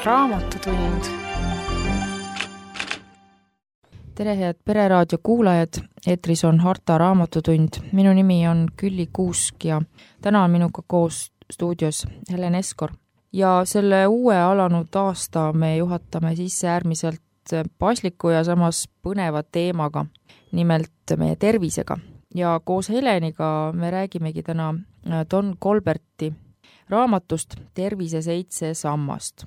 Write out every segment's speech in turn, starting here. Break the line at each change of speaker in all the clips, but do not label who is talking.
Raamatutund.
Tere head Pereraadio kuulajad, eetris on Harta Raamatutund. Minu nimi on Külli Kuusk ja täna on minuga koos stuudios Helen Eskor. Ja selle uue alanud aasta me juhatame sisse äärmiselt pasliku ja samas põneva teemaga, nimelt meie tervisega. Ja koos Heleniga me räägimegi täna Don Colberti raamatust Tervise 7 sammast.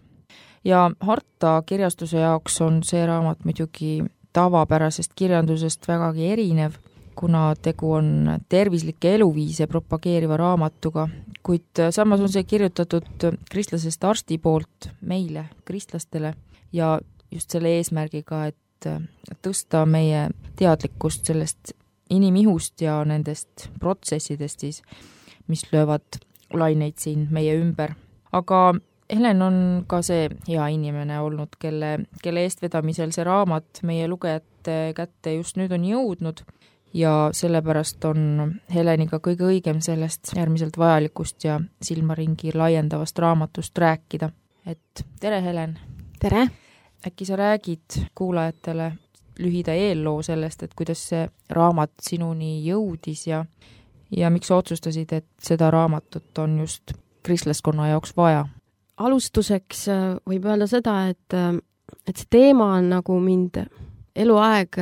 Ja Harta kirjastuse jaoks on see raamat muidugi tavapärasest kirjandusest vägagi erinev, kuna tegu on tervislikke eluviise propageeriva raamatuga, kuid samas on see kirjutatud kristlasest arsti poolt meile, kristlastele, ja just selle eesmärgiga, et tõsta meie teadlikkust sellest inimihust ja nendest protsessidest siis, mis löövad laineid siin meie ümber. Aga Helen on ka see hea inimene olnud, kelle eestvedamisel see raamat meie lugejate kätte just nüüd on jõudnud ja sellepärast on Heleniga kõige õigem sellest äärmiselt vajalikust ja silmaringi laiendavast raamatust rääkida. Et tere, Helen!
Tere!
Äkki sa räägid kuulajatele lühida eelloo sellest, et kuidas see raamat sinuni jõudis ja miks sa otsustasid, et seda raamatut on just kristlaskonna jaoks vaja?
Alustuseks võib öelda seda, et see teema on nagu mind eluaeg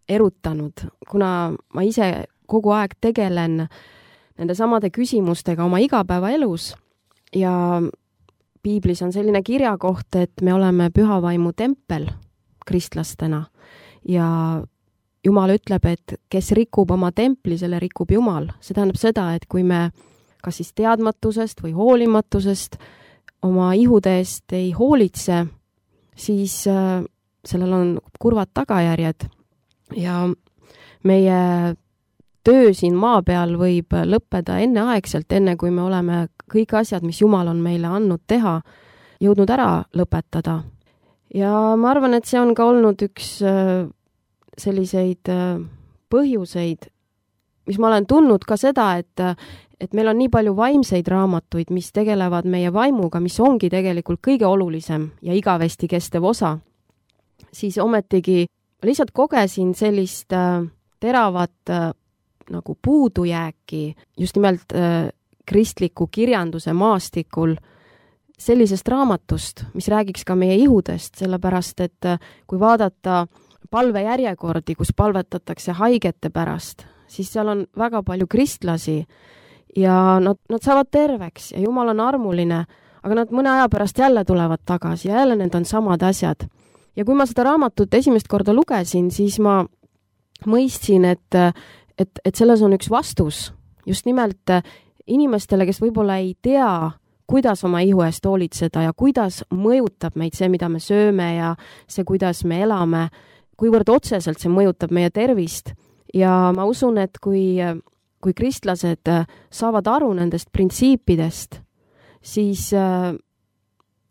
erutanud, kuna ma ise kogu aeg tegelen nende samade küsimustega oma igapäevaelus ja Piiblis on selline kirjakoht, et me oleme pühavaimu tempel kristlastena ja Jumal ütleb, et kes rikub oma templi, selle rikub Jumal. See tähendab seda, et kui me kas siis teadmatusest või hoolimatusest oma ihude eest ei hoolitse, siis sellel on kurvad tagajärjed ja meie töö siin maa peal võib lõppeda enneaegselt, enne kui me oleme kõik asjad, mis Jumal on meile andnud teha, jõudnud ära lõpetada. Ja ma arvan, et see on ka olnud üks selliseid põhjuseid, mis ma olen tundnud ka seda, et meil on nii palju vaimseid raamatuid, mis tegelevad meie vaimuga, mis ongi tegelikult kõige olulisem ja igavesti kestev osa, siis ometigi lihtsalt kogesin sellist teravat nagu puudujääki just nimelt kristliku kirjanduse maastikul sellisest raamatust, mis räägiks ka meie ihudest, sellepärast et kui vaadata palvejärjekordi, kus palvetatakse haigete pärast, siis seal on väga palju kristlasi ja nad saavad terveks ja Jumal on armuline, aga nad mõne aja pärast jälle tulevad tagasi ja jälle need on samad asjad. Ja kui ma seda raamatut esimest korda lugesin, siis ma mõistsin, et selles on üks vastus just nimelt inimestele, kes võib-olla ei tea, kuidas oma ihu eest hoolitseda ja kuidas mõjutab meid see, mida me sööme ja see, kuidas me elame, kuivõrd otseselt see mõjutab meie tervist. Ja ma usun, et kui kristlased saavad aru nendest printsiipidest, siis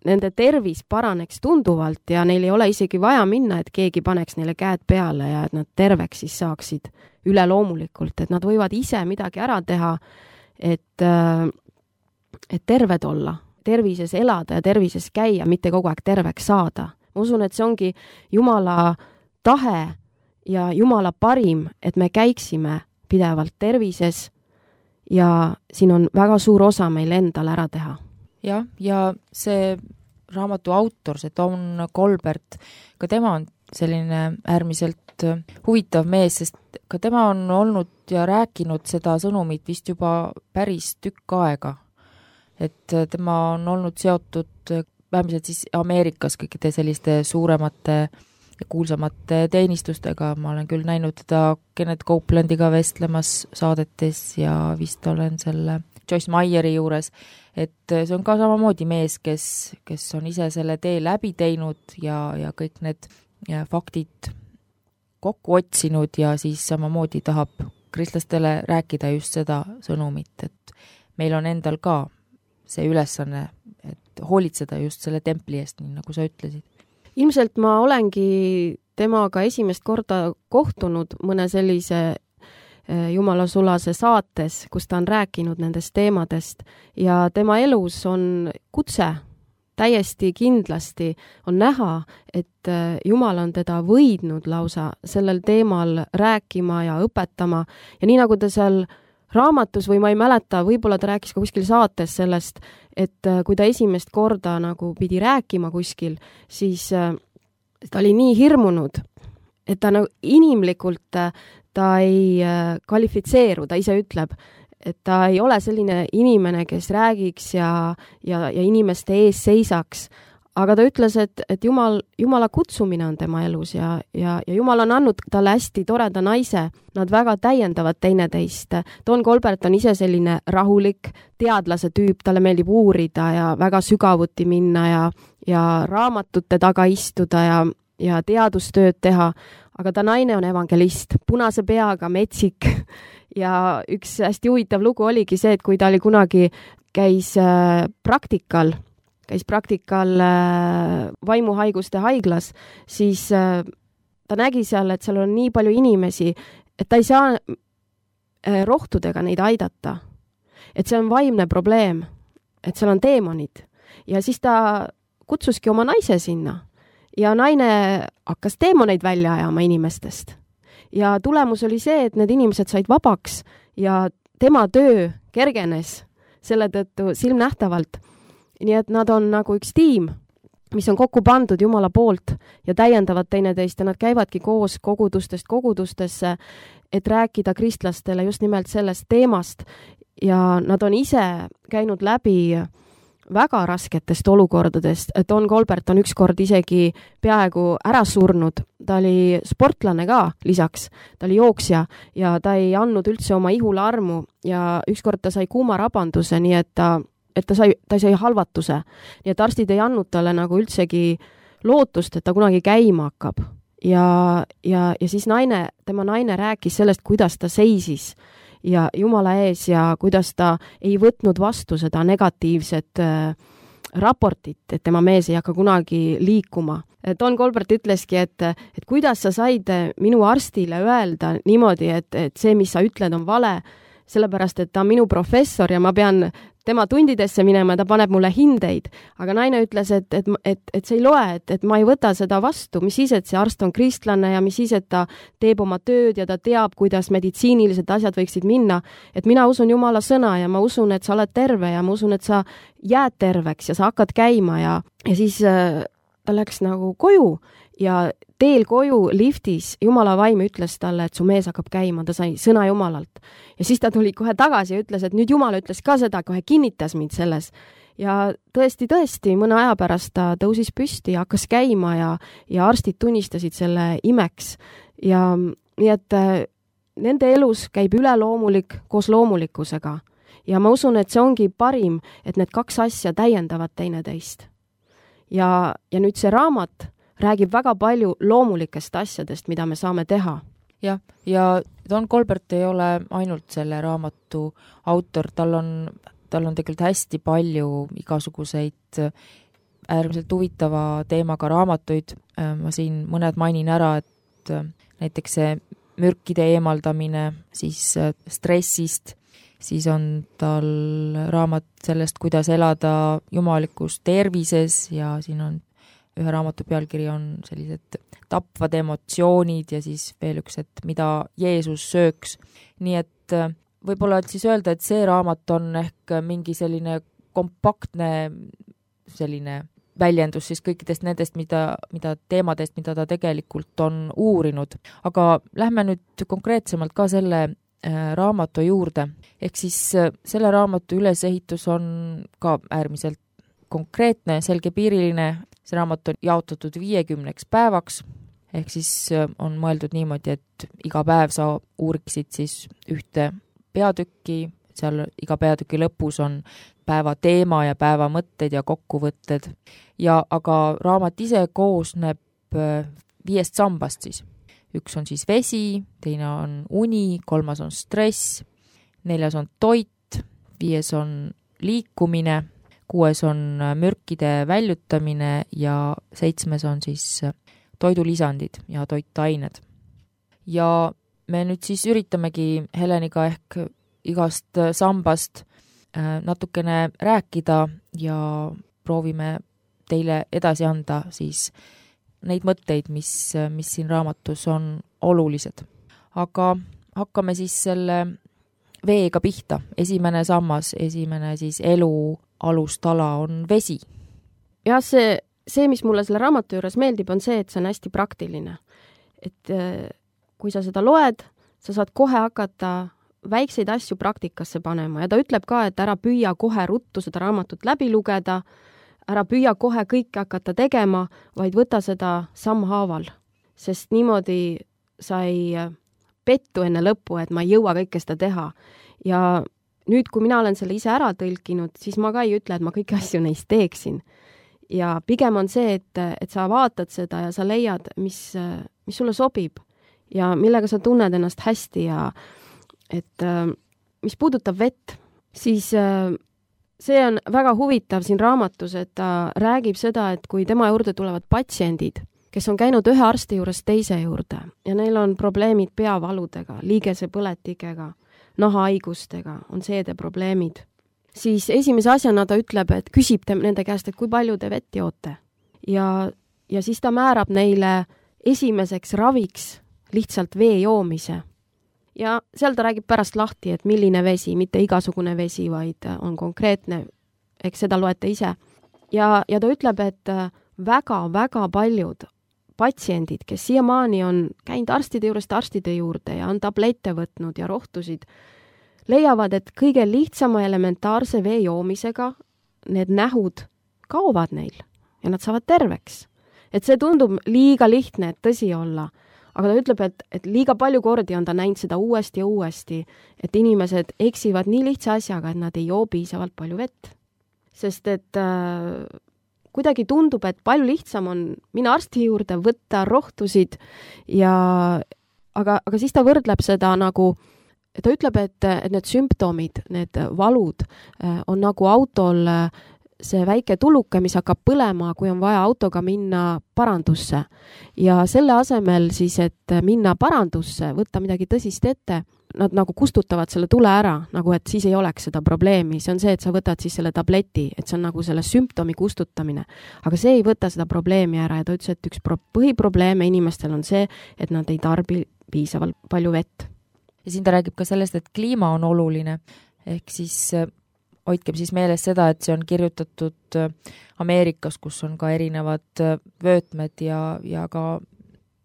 nende tervis paraneks tunduvalt ja neil ei ole isegi vaja minna, et keegi paneks neile käed peale ja et nad terveks siis saaksid üleloomulikult, et nad võivad ise midagi ära teha, et terved olla, tervises elada ja tervises käia, mitte kogu aeg terveks saada. Ma usun, et see ongi Jumala tahe ja Jumala parim, et me käiksime pidevalt tervises ja siin on väga suur osa meil endal ära teha.
Jah, ja see raamatu autor, see Don Colbert, ka tema on selline äärmiselt huvitav mees, sest ka tema on olnud ja rääkinud seda sõnumit vist juba päris tükk aega. Et tema on olnud seotud vähemalt siis Ameerikas kõikide selliste suuremate ja kuulsamate teenistustega. Ma olen küll näinud teda Kenneth Copelandiga vestlemas saadetes ja vist olen selle Joyce Meyeri juures, et see on ka samamoodi mees, kes on ise selle tee läbi teinud ja kõik need faktid kokku otsinud ja siis samamoodi tahab kristlastele rääkida just seda sõnumit, et meil on endal ka see ülesanne, et hoolitseda just selle templi eest, nii nagu sa ütlesid.
Ilmselt ma olengi temaga esimest korda kohtunud mõne sellise Jumala sulase saates, kus ta on rääkinud nendest teemadest ja tema elus on kutse täiesti kindlasti on näha, et Jumal on teda võidnud lausa sellel teemal rääkima ja õpetama ja nii nagu ta seal raamatus või ma ei mäleta, võib-olla ta rääkis ka kuskil saates sellest, et kui ta esimest korda nagu pidi rääkima kuskil, siis ta oli nii hirmunud, et ta nagu inimlikult ta ei kvalifitseeru, ta ise ütleb, et ta ei ole selline inimene, kes räägiks ja inimeste ees seisaks. Aga ta ütles, et Jumala kutsumine on tema elus ja Jumal on andnud talle hästi toreda naise. Nad väga täiendavad teineteist. Don Colbert on ise selline rahulik teadlase tüüp, talle meeldib uurida ja väga sügavuti minna ja raamatute taga istuda ja teadustööd teha. Aga ta naine on evangelist, punase peaga, metsik ja üks hästi huvitav lugu oligi see, et kui ta oli kunagi käis praktikal vaimuhaiguste haiglas, siis ta nägi seal, et seal on nii palju inimesi, et ta ei saa rohtudega neid aidata. Et see on vaimne probleem, et seal on teemonid. Ja siis ta kutsuski oma naise sinna ja naine hakkas teemoneid välja ajama inimestest. Ja tulemus oli see, et need inimesed said vabaks ja tema töö kergenes selle tõttu silmnähtavalt. Nii et nad on nagu üks tiim, mis on kokku pandud Jumala poolt ja täiendavad teineteist ja nad käivadki koos kogudustest kogudustesse, et rääkida kristlastele just nimelt sellest teemast ja nad on ise käinud läbi väga rasketest olukordadest. Don Colbert on ükskord isegi peaaegu ära surnud. Ta oli sportlane ka lisaks, ta oli jooksja ja ta ei andnud üldse oma ihule armu ja ükskord ta sai kuumarabanduse, nii et ta sai halvatuse. Nii et arstid ei andnud talle nagu üldsegi lootust, et ta kunagi käima hakkab. Ja siis tema naine rääkis sellest, kuidas ta seisis ja Jumala ees ja kuidas ta ei võtnud vastu seda negatiivset raportit, et tema mees ei hakka kunagi liikuma. Don Colbert ütleski, et kuidas sa said minu arstile öelda niimoodi, et see, mis sa ütled, on vale, sellepärast, et ta on minu professor ja ma pean tema tundidesse minema, ta paneb mulle hindeid. Aga naine ütles, et see ei loe, et ma ei võta seda vastu, mis siis, et see arst on kristlane ja mis siis, et ta teeb oma tööd ja ta teab, kuidas meditsiinilised asjad võiksid minna. Et mina usun Jumala sõna ja ma usun, et sa oled terve ja ma usun, et sa jääd terveks ja sa hakkad käima ja siis ta läks nagu koju ja teel koju liftis Jumala vaim ütles talle, et su mees hakkab käima, ta sai sõna Jumalalt. Ja siis ta tuli kohe tagasi ja ütles, et nüüd Jumal ütles ka seda, kohe kinnitas mind selles. Ja tõesti, mõne aja pärast ta tõusis püsti ja hakkas käima ja arstid tunnistasid selle imeks. Ja nii et nende elus käib üleloomulik koos loomulikkusega. Ja ma usun, et see ongi parim, et need kaks asja täiendavad teineteist. Ja nüüd see raamat räägib väga palju loomulikest asjadest, mida me saame teha.
Ja Don Colbert ei ole ainult selle raamatu autor, tal on tegelikult hästi palju igasuguseid äärmiselt huvitava teemaga raamatuid. Ma siin mõned mainin ära, et näiteks see mürkide eemaldamine, siis stressist, siis on tal raamat sellest, kuidas elada jumalikus tervises ja siin on ühe raamatu pealkiri on sellised tapvad emotsioonid ja siis veel üks, et mida Jeesus sööks. Nii et võib-olla siis öelda, et see raamat on ehk mingi selline kompaktne selline väljendus siis kõikidest nendest, mida teemadest, mida ta tegelikult on uurinud. Aga lähme nüüd konkreetsemalt ka selle raamatu juurde. Ehk siis selle raamatu ülesehitus on ka äärmiselt konkreetne, selgepiiriline. See raamat on jaotatud 50 päevaks, ehk siis on mõeldud niimoodi, et iga päev sa uuriksid siis ühte peatükki, seal iga peatüki lõpus on päeva teema ja päeva mõtted ja kokkuvõtted. Aga raamat ise koosneb 5 sambast siis. Üks on siis vesi, teine on uni, 3 on stress, 4 on toit, 5 on liikumine, 6 on mürkide väljutamine ja 7 on siis toidulisandid ja toitained. Ja me nüüd siis üritamegi Heleniga ehk igast sambast natukene rääkida ja proovime teile edasi anda siis neid mõtteid, mis siin raamatus on olulised. Aga hakkame siis selle veega pihta. Esimene sammas, esimene siis elu alustala on vesi.
Ja see, mis mulle selle raamatu juures meeldib, on see, et see on hästi praktiline. Et kui sa seda loed, sa saad kohe hakata väikseid asju praktikasse panema ja ta ütleb ka, et ära püüa kohe ruttu seda raamatut läbi lugeda, ära püüa kohe kõike hakata tegema, vaid võta seda sammhaaval, sest niimoodi sa ei pettu enne lõppu, et ma ei jõua kõike seda teha. Ja nüüd, kui mina olen selle ise ära tõlkinud, siis ma ka ei ütle, et ma kõiki asju neist teeksin. Ja pigem on see, et sa vaatad seda ja sa leiad, mis sulle sobib ja millega sa tunned ennast hästi ja et mis puudutab vett, siis see on väga huvitav siin raamatus, et ta räägib seda, et kui tema juurde tulevad patsiendid, kes on käinud ühe arsti juures teise juurde ja neil on probleemid peavaludega, liigesepõletikega, nahahaigustega, on seedeprobleemid, siis esimese asjana ta ütleb, et küsib nende käest, et kui palju te vett joote. Ja siis ta määrab neile esimeseks raviks lihtsalt vee joomise. Ja seal ta räägib pärast lahti, et milline vesi, mitte igasugune vesi, vaid on konkreetne, eks seda loete ise. Ja ta ütleb, et väga-väga paljud patsiendid, kes siiamaani on käinud arstide juurest arstide juurde ja on tablette võtnud ja rohtusid, leiavad, et kõige lihtsama elementaarse vee joomisega need nähud kaovad neil ja nad saavad terveks. Et see tundub liiga lihtne, et tõsi olla. Aga ta ütleb, et liiga palju kordi on ta näinud seda uuesti ja uuesti, et inimesed eksivad nii lihtsa asjaga, et nad ei joo piisavalt palju vett. Sest et kuidagi tundub, et palju lihtsam on minna arsti juurde, võtta rohtusid aga siis ta võrdleb seda nagu, ta ütleb, et need sümptomid, need valud on nagu autol see väike tuluke, mis hakkab põlema, kui on vaja autoga minna parandusse. Ja selle asemel siis, et minna parandusse, võtta midagi tõsist ette, nad nagu kustutavad selle tule ära, nagu et siis ei oleks seda probleemi. See on see, et sa võtad siis selle tableti, et see on nagu selle sümptomi kustutamine. Aga see ei võta seda probleemi ära ja ta ütles, et üks põhiprobleeme inimestel on see, et nad ei tarbi piisavalt palju vett.
Ja siin ta räägib ka sellest, et kliima on oluline, ehk siis hoidkem siis meeles seda, et see on kirjutatud Ameerikas, kus on ka erinevad vöötmed ja ka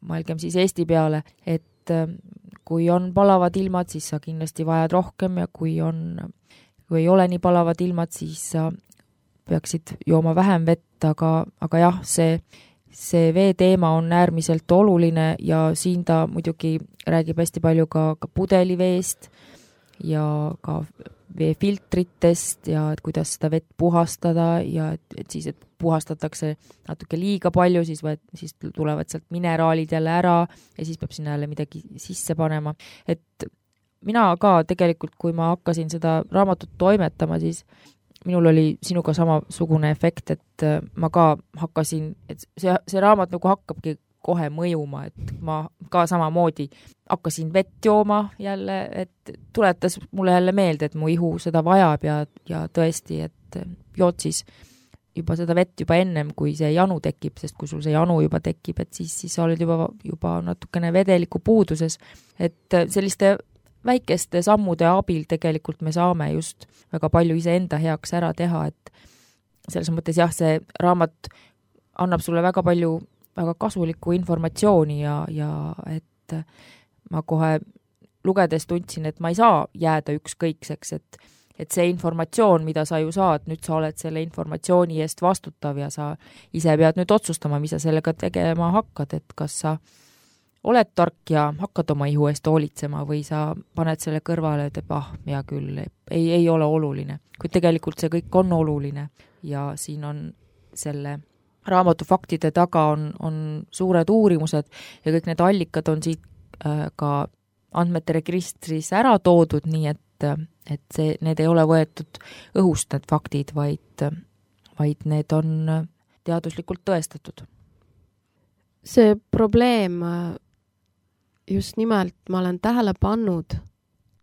mõelgem siis Eesti peale, et kui on palavad ilmad, siis sa kindlasti vajad rohkem ja kui ei ole nii palavad ilmad, siis sa peaksid jooma vähem vett, aga jah, see vee teema on äärmiselt oluline ja siin ta muidugi räägib hästi palju ka pudeliveest ja ka veefiltritest ja et kuidas seda vett puhastada ja et siis, et puhastatakse natuke liiga palju, siis tulevad sealt mineraalid jälle ära ja siis peab sinna jälle midagi sisse panema. Et mina ka tegelikult, kui ma hakkasin seda raamatut toimetama, siis minul oli sinuga samasugune efekt, et ma ka hakkasin, et see raamat nagu hakkabki kohe mõjuma, et ma ka samamoodi hakkasin vett jooma jälle, et tuletas mulle jälle meelde, et mu ihu seda vajab ja tõesti, et jood siis juba seda vett juba ennem, kui see janu tekib, sest kui sul see janu juba tekib, et siis sa oled juba natukene vedeliku puuduses, et selliste väikeste sammude abil tegelikult me saame just väga palju iseenda heaks ära teha, et selles mõttes jah, see raamat annab sulle väga palju väga kasulikku informatsiooni ja et ma kohe lugedes tundsin, et ma ei saa jääda ükskõikseks, et see informatsioon, mida sa ju saad, nüüd sa oled selle informatsiooni eest vastutav ja sa ise pead nüüd otsustama, mis sa sellega tegema hakkad, et kas sa oled tark ja hakkad oma ihu eest hoolitsema või sa paned selle kõrvale, et hea küll, ei ole oluline. Kuid tegelikult see kõik on oluline ja siin on selle raamatu faktide taga on suured uurimused ja kõik need allikad on siit ka andmete registris ära toodud, nii et need ei ole võetud õhust need faktid, vaid need on teaduslikult tõestatud.
See probleem just nimelt, ma olen tähele pannud,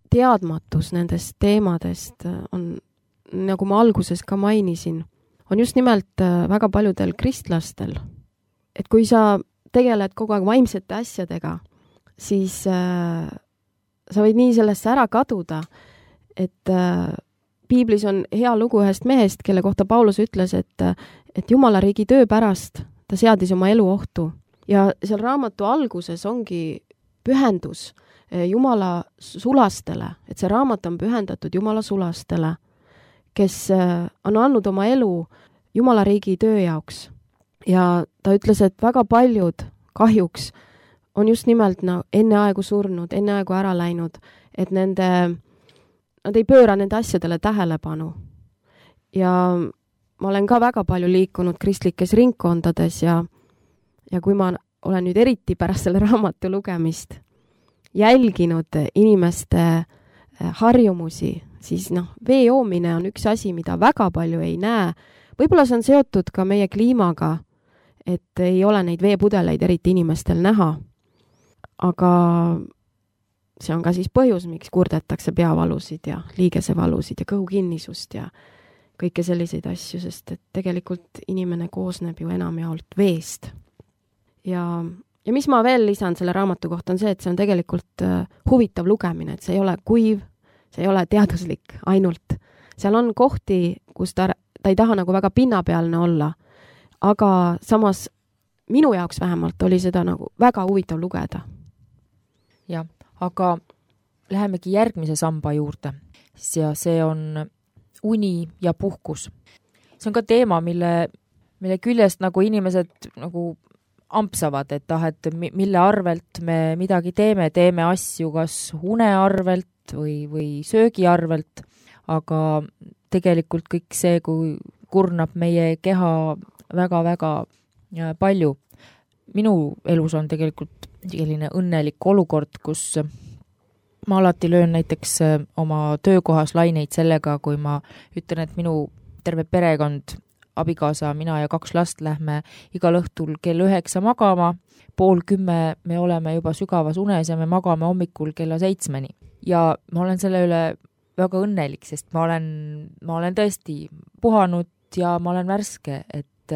teadmatus nendest teemadest on, nagu ma alguses ka mainisin, on just nimelt väga paljudel kristlastel. Et kui sa tegeled kogu aeg vaimsete asjadega, siis sa võid nii sellesse ära kaduda, et piiblis on hea lugu ühest mehest, kelle kohta Paulus ütles, et Jumala riigi töö pärast ta seadis oma elu ohtu. Ja seal raamatu alguses ongi pühendus Jumala sulastele, et see raamat on pühendatud Jumala sulastele, kes on andnud oma elu Jumala riigi töö jaoks. Ja ta ütles, et väga paljud kahjuks on just nimelt enne aegu surnud, enne aegu ära läinud, et nad ei pööra nende asjadele tähelepanu. Ja ma olen ka väga palju liikunud kristlikes ringkondades ja kui ma olen nüüd eriti pärast selle raamatu lugemist jälginud inimeste harjumusi, siis vee joomine on üks asi, mida väga palju ei näe. Võib-olla see on seotud ka meie kliimaga, et ei ole neid veepudeleid eriti inimestel näha. Aga see on ka siis põhjus, miks kurdetakse peavalusid ja liigesevalusid ja kõhukinnisust ja kõike selliseid asju, sest et tegelikult inimene koosneb ju enamjaolt veest. Ja mis ma veel lisan selle raamatu kohta on see, et see on tegelikult huvitav lugemine, et see ei ole kuiv, see ei ole teaduslik ainult. Seal on kohti, kus ta ei taha nagu väga pinnapealne olla, aga samas minu jaoks vähemalt oli seda nagu väga huvitav lugeda.
Jah, aga lähemegi järgmise samba juurde ja see on uni ja puhkus. See on ka teema, mille küljest nagu inimesed nagu ampsavad, et mille arvelt me midagi teeme asju kas une arvelt või söögi arvelt, aga tegelikult kõik see, kui kurnab meie keha väga-väga palju. Minu elus on tegelikult selline õnnelik olukord, kus ma alati löön näiteks oma töökohas laineid sellega, kui ma ütlen, et minu terve perekond, abikaasa, mina ja 2 last lähme igal õhtul kell 9 magama, 9:30 me oleme juba sügavas unes ja me magame hommikul kella 7. Ja ma olen selle üle väga õnnelik, sest ma olen tõesti puhanud ja ma olen värske, et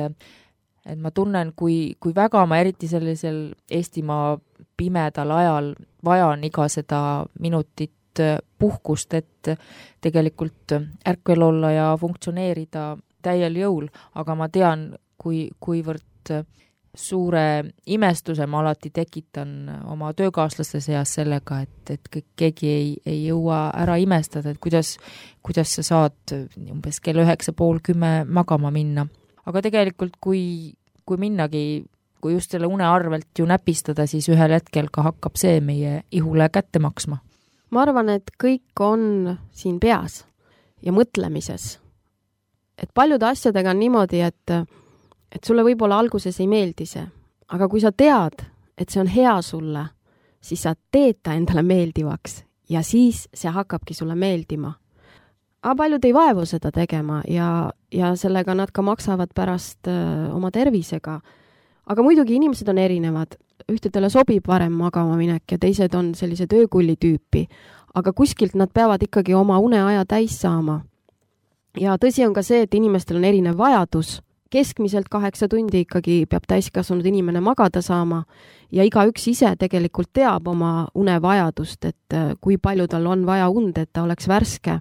ma tunnen, kui väga ma eriti sellisel Eestimaa pimedal ajal vajan iga seda minutit puhkust, et tegelikult ärkvel olla ja funktsioneerida täiel jõul, aga ma tean, kuivõrd suure imestuse ma alati tekitan oma töökaaslaste seas sellega, et keegi ei jõua ära imestada, et kuidas sa saad umbes kell 9:30 magama minna. Aga tegelikult, kui minnagi, kui just selle une arvelt ju näpistada, siis ühel hetkel ka hakkab see meie ihule kätte maksma.
Ma arvan, et kõik on siin peas ja mõtlemises. Et paljude asjadega on niimoodi, et sulle võib-olla alguses ei meeldi see, aga kui sa tead, et see on hea sulle, siis sa teed ta endale meeldivaks ja siis see hakkabki sulle meeldima. Aga paljud ei vaevu seda tegema ja sellega nad ka maksavad pärast oma tervisega. Aga muidugi inimesed on erinevad. Ühtedele sobib varem magama minek ja teised on sellise töökulli tüüpi. Aga kuskilt nad peavad ikkagi oma uneaja täis saama. Ja tõsi on ka see, et inimestel on erinev vajadus. Keskmiselt 8 tundi ikkagi peab täiskasvanud inimene magada saama ja igaüks ise tegelikult teab oma unevajadust, et kui palju tal on vaja und, et ta oleks värske.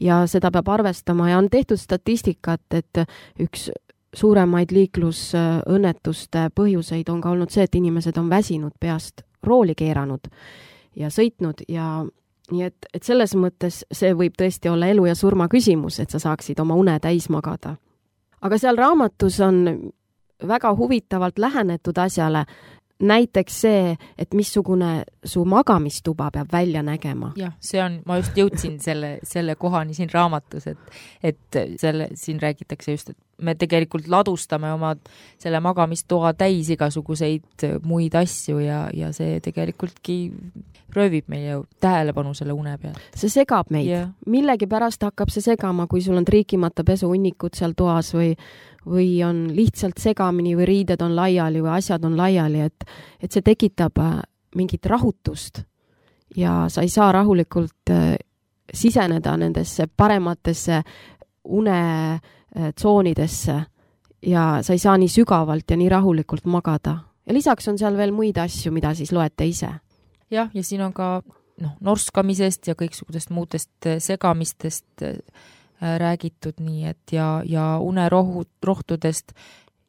Ja seda peab arvestama ja on tehtud statistikat, et üks suuremaid liiklusõnnetuste põhjuseid on ka olnud see, et inimesed on väsinud peast rooli keeranud ja sõitnud ja nii et selles mõttes see võib tõesti olla elu ja surma küsimus, et sa saaksid oma une täis magada. Aga seal raamatus on väga huvitavalt lähenetud asjale, näiteks see, et missugune su magamistuba peab välja nägema.
Jah, see on, ma just jõudsin selle kohani siin raamatus, et siin räägitakse just, et me tegelikult ladustame oma selle magamistoa täis igasuguseid muid asju ja see tegelikult röövib meie tähelepanu selle une peal.
See segab meid. Yeah. Millegi pärast hakkab see segama, kui sul on triikimata pesuunnikud seal toas või on lihtsalt segamini või riided on laiali või asjad on laiali, et see tekitab mingit rahutust ja sa ei saa rahulikult siseneda nendesse parematesse une tsoonidesse ja sa ei saa nii sügavalt ja nii rahulikult magada. Ja lisaks on seal veel muid asju, mida siis loete ise.
Jah, ja siin on ka norskamisest ja kõiksugudest muudest segamistest räägitud nii, et ja unerohtudest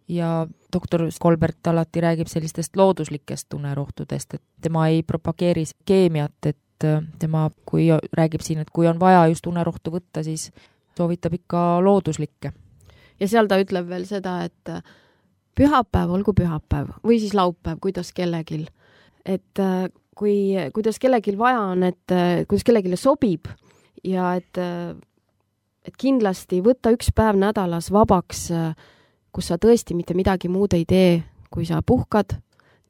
ja doktor Kolbert alati räägib sellistest looduslikest unerohtudest, et tema ei propageeri keemiat, et tema, kui räägib siin, et kui on vaja just unerohtu võtta, siis soovitab ikka looduslikke.
Ja seal ta ütleb veel seda, et pühapäev olgu pühapäev või siis laupäev, kuidas kellegil. Et kuidas kellegil vaja on, et kuidas kellegile sobib ja et kindlasti võtta üks päev nädalas vabaks, kus sa tõesti mitte midagi muud ei tee, kui sa puhkad,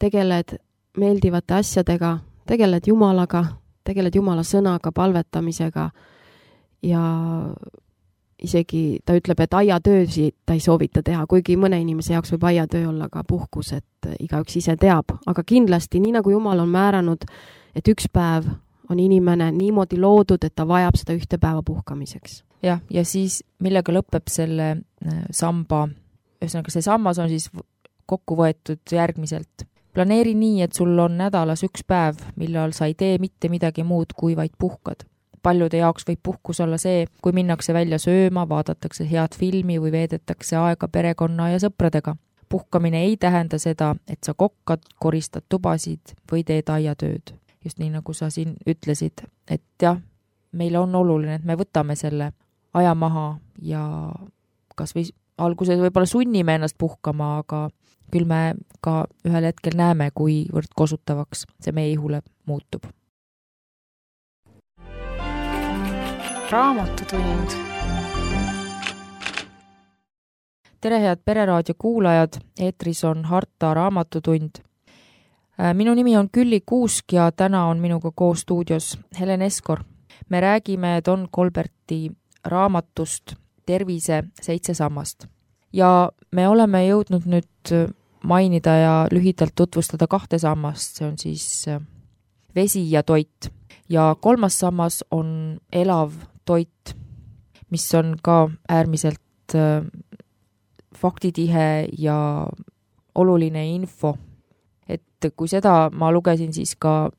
tegeled meeldivate asjadega, tegeled Jumalaga, tegeled Jumala sõnaga, palvetamisega ja isegi ta ütleb, et aiatöösi ta ei soovita teha, kuigi mõne inimese jaoks võib aiatöö olla ka puhkus, et igaüks ise teab, aga kindlasti nii nagu Jumal on määranud, et üks päev on inimene niimoodi loodud, et ta vajab seda ühte päeva puhkamiseks.
Jah, ja siis millega lõpeb selle samba, ühesõnaga see sammas on siis kokku võetud järgmiselt. Planeeri nii, et sul on nädalas üks päev, millal sa ei tee mitte midagi muud, kui vaid puhkad. Paljude jaoks võib puhkus olla see, kui minnakse välja sööma, vaadatakse head filmi või veedetakse aega perekonna ja sõpradega. Puhkamine ei tähenda seda, et sa kokkad, koristad tubasid või teed aiatööd. Just nii, nagu sa siin ütlesid, et jah, meile on oluline, et me võtame selle aja maha ja kas või alguses võib-olla sunnime ennast puhkama, aga küll me ka ühel hetkel näeme, kuivõrd kosutavaks see meie ihule muutub.
Raamatutund.
Tere, head Pereraadio kuulajad, eetris on Harta raamatutund. Minu nimi on Külli Kuusk ja täna on minuga koos stuudios Helen Eskor. Me räägime Don Colberti raamatust Tervise 7 sammast. Ja me oleme jõudnud nüüd mainida ja lühidalt tutvustada 2 sammast, see on siis vesi ja toit. Ja 3. sammas on elav toit, mis on ka äärmiselt faktitihe ja oluline info. Et kui seda ma lugesin, siis ka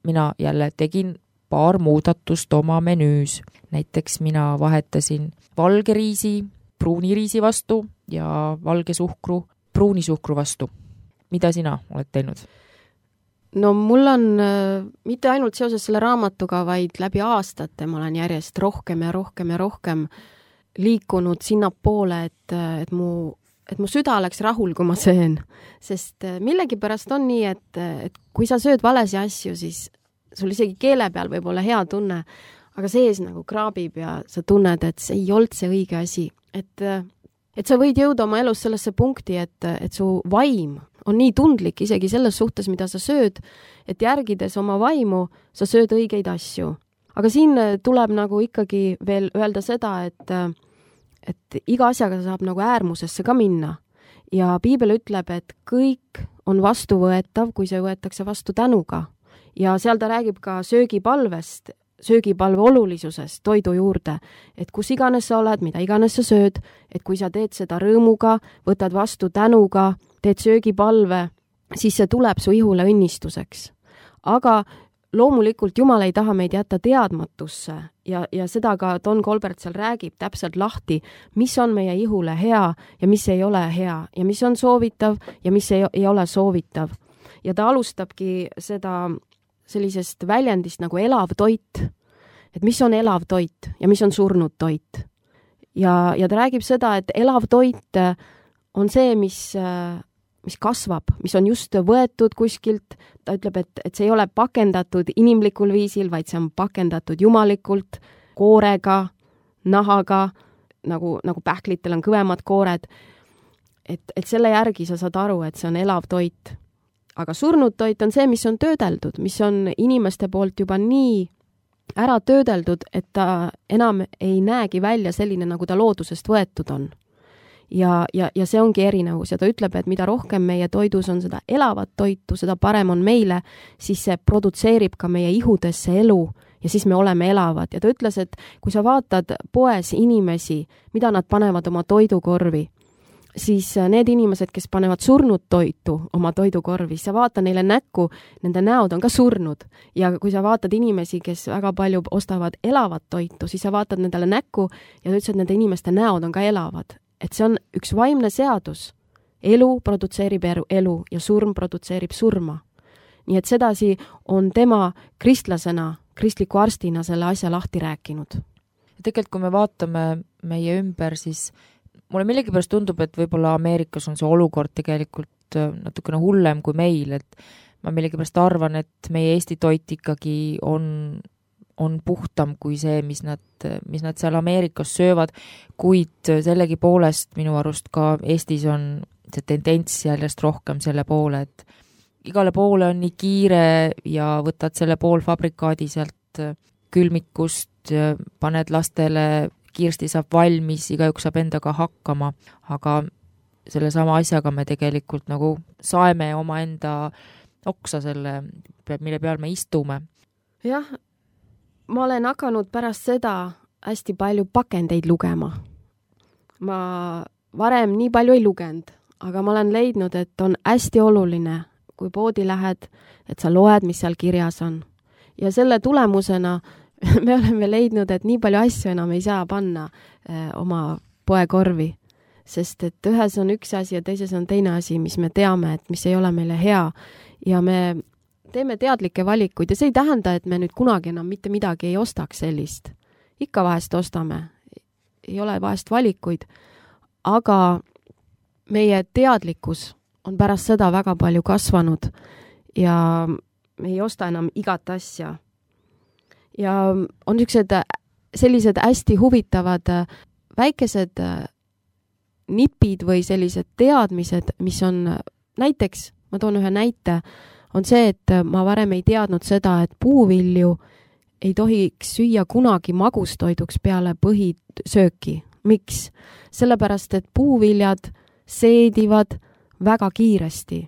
mina jälle tegin paar muudatust oma menüüs. Näiteks mina vahetasin valge riisi pruuni riisi vastu ja valge suhkru pruuni suhkru vastu. Mida sina oled teinud?
No mul on mitte ainult seoses selle raamatuga, vaid läbi aastate ma olen järjest rohkem ja rohkem ja rohkem liikunud sinnapoole, et mu süda oleks rahul, kui ma söön. Sest millegipärast on nii, et kui sa sööd valesi asju, siis sul isegi keele peal võib olla hea tunne, aga sees nagu kraabib ja sa tunned, et see ei olnud see õige asi. Et sa võid jõuda oma elus sellesse punkti, et su vaim on nii tundlik isegi selles suhtes, mida sa sööd, et järgides oma vaimu, sa sööd õigeid asju. Aga siin tuleb nagu ikkagi veel öelda seda, et iga asjaga saab nagu äärmusesse ka minna. Ja piibel ütleb, et kõik on vastuvõetav, kui see võetakse vastu tänuga. Ja seal ta räägib ka söögipalvest, söögipalve olulisusest toidu juurde, et kus iganes sa oled, mida iganes sa sööd, et kui sa teed seda rõõmuga, võtad vastu tänuga, teed söögipalve, siis see tuleb su ihule õnnistuseks. Aga loomulikult Jumal ei taha meid jätta teadmatusse ja seda ka Don Colbert seal räägib täpselt lahti, mis on meie ihule hea ja mis ei ole hea ja mis on soovitav ja mis ei ole soovitav. Ja ta alustabki seda sellisest väljendist nagu elav toit, et mis on elav toit ja mis on surnud toit. Ja ta räägib seda, et elav toit on see, mis kasvab, mis on just võetud kuskilt. Ta ütleb, et see ei ole pakendatud inimlikul viisil, vaid see on pakendatud jumalikult, koorega, nahaga, nagu pähklitel on kõvemad koored. Et selle järgi sa saad aru, et see on elav toit. Aga surnud toit on see, mis on töödeldud, mis on inimeste poolt juba nii ära töödeldud, et ta enam ei näegi välja selline, nagu ta loodusest võetud on. Ja see ongi erinevus ja ta ütleb, et mida rohkem meie toidus on seda elavat toitu, seda parem on meile, siis see produtseerib ka meie ihudesse elu ja siis me oleme elavad. Ja ta ütles, et kui sa vaatad poes inimesi, mida nad panevad oma toidukorvi, siis need inimesed, kes panevad surnud toitu oma toidukorvi, sa vaata neile näkku, nende näod on ka surnud. Ja kui sa vaatad inimesi, kes väga palju ostavad elavat toitu, siis sa vaatad nendele näkku ja ta ütles, et nende inimeste näod on ka elavad. Et see on üks vaimne seadus. Elu produtseerib elu ja surm produtseerib surma. Nii et sedasi on tema kristlasena, kristliku arstina selle asja lahti rääkinud.
Tegelikult, kui me vaatame meie ümber, siis mulle millegipärast tundub, et võib-olla Ameerikas on see olukord tegelikult natukene hullem kui meil, et ma millegipärast arvan, et meie Eesti toit ikkagi on puhtam kui see, mis nad seal Ameerikas söövad, kuid sellegi poolest minu arust ka Eestis on see tendents järjest rohkem selle poole, et igale poole on nii kiire ja võtad selle poolfabrikaadi sealt külmikust, paned lastele, kiirsti saab valmis, igaüks saab endaga hakkama, aga selle sama asjaga me tegelikult nagu saeme oma enda oksa selle, mille peal me istume.
Jah, ma olen hakanud pärast seda hästi palju pakendeid lugema. Ma varem nii palju ei lugenud, aga ma olen leidnud, et on hästi oluline, kui poodi lähed, et sa loed, mis seal kirjas on. Ja selle tulemusena me oleme leidnud, et nii palju asju enam ei saa panna oma poekorvi, sest et ühes on üks asi ja teises on teine asi, mis me teame, et mis ei ole meile hea ja me teeme teadlikke valikuid ja see ei tähenda, et me nüüd kunagi enam mitte midagi ei ostaks sellist. Ikka vahest ostame, ei ole vahest valikuid, aga meie teadlikkus on pärast seda väga palju kasvanud ja me ei osta enam igat asja. Ja on sellised hästi huvitavad väikesed nipid või sellised teadmised, mis on näiteks, ma toon ühe näite, on see, et ma varem ei teadnud seda, et puuvilju ei tohiks süüa kunagi magustoiduks peale põhisööki. Miks? Sellepärast, et puuviljad seedivad väga kiiresti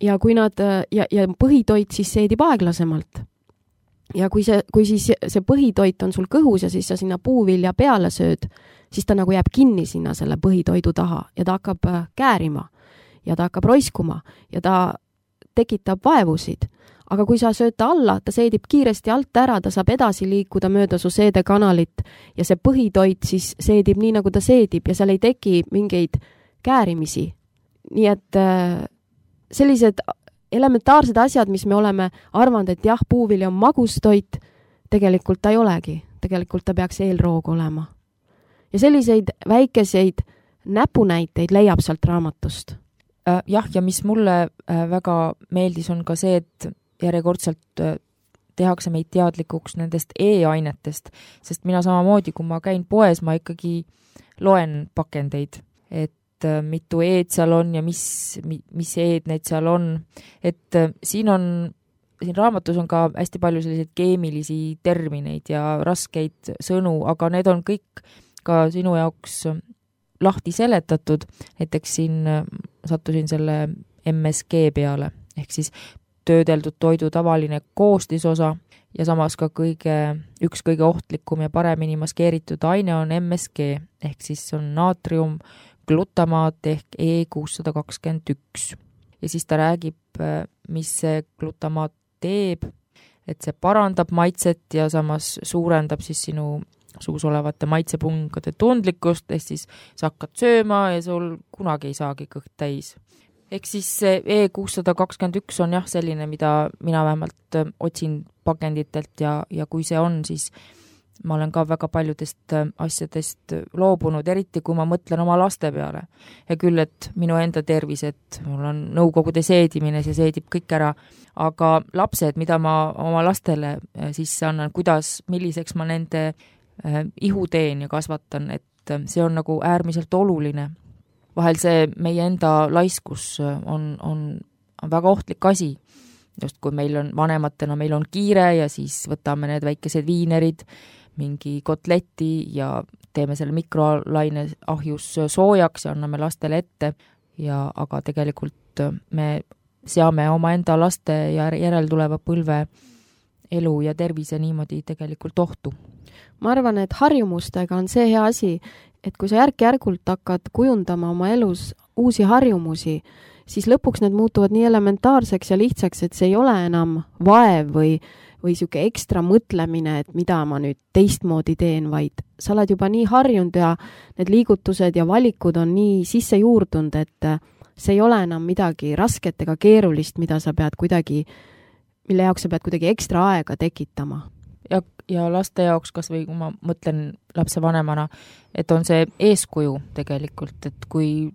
ja kui ja põhitoit siis seedib aeglasemalt. Ja kui siis see põhitoit on sul kõhus ja siis sa sinna puuvilja peale sööd, siis ta nagu jääb kinni sinna selle põhitoidu taha ja ta hakkab käärima ja ta hakkab roiskuma ja ta tekitab vaevusid. Aga kui sa sööd ta alla, ta seedib kiiresti alt ära, ta saab edasi liikuda mööda su seedekanalit ja see põhitoit siis seedib nii, nagu ta seedib ja seal ei teki mingeid käärimisi. Nii et sellised elementaarsed asjad, mis me oleme arvanud, et jah, puuvili on magustoit, tegelikult ta ei olegi. Tegelikult ta peaks eelroog olema. Ja selliseid väikeseid näpunäiteid leiab sealt raamatust.
Jah, ja mis mulle väga meeldis, on ka see, et järjekordselt tehakse meid teadlikuks nendest e-ainetest, sest mina samamoodi, kui ma käin poes, ma ikkagi loen pakendeid, et mitu eed seal on ja mis eed need seal on. Et siin raamatus on ka hästi palju selliseid keemilisi termineid ja raskeid sõnu, aga need on kõik ka sinu jaoks lahti seletatud. Näiteks siin sattusin selle MSG peale, ehk siis töödeldud toidu tavaline koostisosa ja samas ka üks kõige ohtlikum ja paremini maskeeritud aine on MSG, ehk siis on naatrium, glutamaat ehk E621. Ja siis ta räägib, mis see glutamaat teeb, et see parandab maitset ja samas suurendab siis sinu suus olevate maitsepungade tundlikkust, ehk siis sa hakkad sööma ja sul kunagi ei saagi kõht täis. Ehk siis see E621 on jah selline, mida mina vähemalt otsin pakenditelt ja kui see on, siis ma olen ka väga paljudest asjadest loobunud, eriti kui ma mõtlen oma laste peale. Ja küll, et minu enda tervis, et mul on nõukogude seedimine, see seedib kõik ära, aga lapsed, mida ma oma lastele sisse annan, milliseks ma nende ihu teen ja kasvatan, et see on nagu äärmiselt oluline. Vahel see meie enda laiskus on väga ohtlik asi. Just kui meil on vanematena, meil on kiire ja siis võtame need väikesed viinerid, mingi kotleti ja teeme selle mikrolaine ahjus soojaks ja anname lastele ette. Aga tegelikult me seame oma enda laste ja järeltuleva põlve elu ja tervise niimoodi tegelikult ohtu.
Ma arvan, et harjumustega on see hea asi, et kui sa järk-järgult hakkad kujundama oma elus uusi harjumusi, siis lõpuks need muutuvad nii elementaarseks ja lihtsaks, et see ei ole enam vaev või siuke ekstra mõtlemine, et mida ma nüüd teistmoodi teen, vaid sa oled juba nii harjunud ja need liigutused ja valikud on nii sisse juurdunud, et see ei ole enam midagi rasket ega keerulist, mille jaoks sa pead kuidagi ekstra aega tekitama.
Ja laste jaoks, kas või kui ma mõtlen lapsevanemana, et on see eeskuju tegelikult, et kui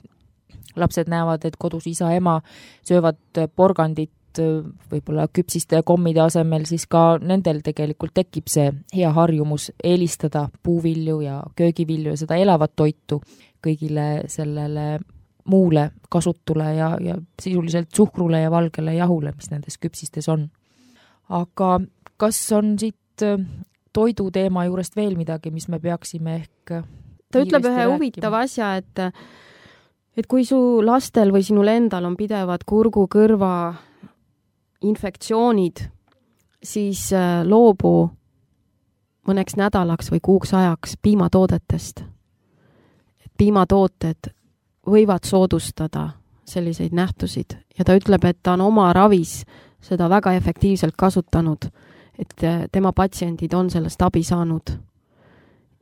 lapsed näevad, et kodus isa-ema söövad porgandit võib-olla küpsiste ja kommide asemel, siis ka nendel tegelikult tekib see hea harjumus eelistada puuvilju ja köögivilju ja seda elavat toitu kõigile sellele muule kasutule ja sisuliselt suhkrule ja valgele jahule, mis nendes küpsistes on. Aga kas on siit toidu teema juurest veel midagi, mis me peaksime ehk
ta ütleb ühe huvitava asja, et kui su lastel või sinul endal on pidevad kurgu, kõrva infektsioonid, siis loobu mõneks nädalaks või kuuks ajaks piimatoodetest. Piimatooted võivad soodustada selliseid nähtusid ja ta ütleb, et ta on oma ravis seda väga efektiivselt kasutanud, et tema patsiendid on sellest abi saanud.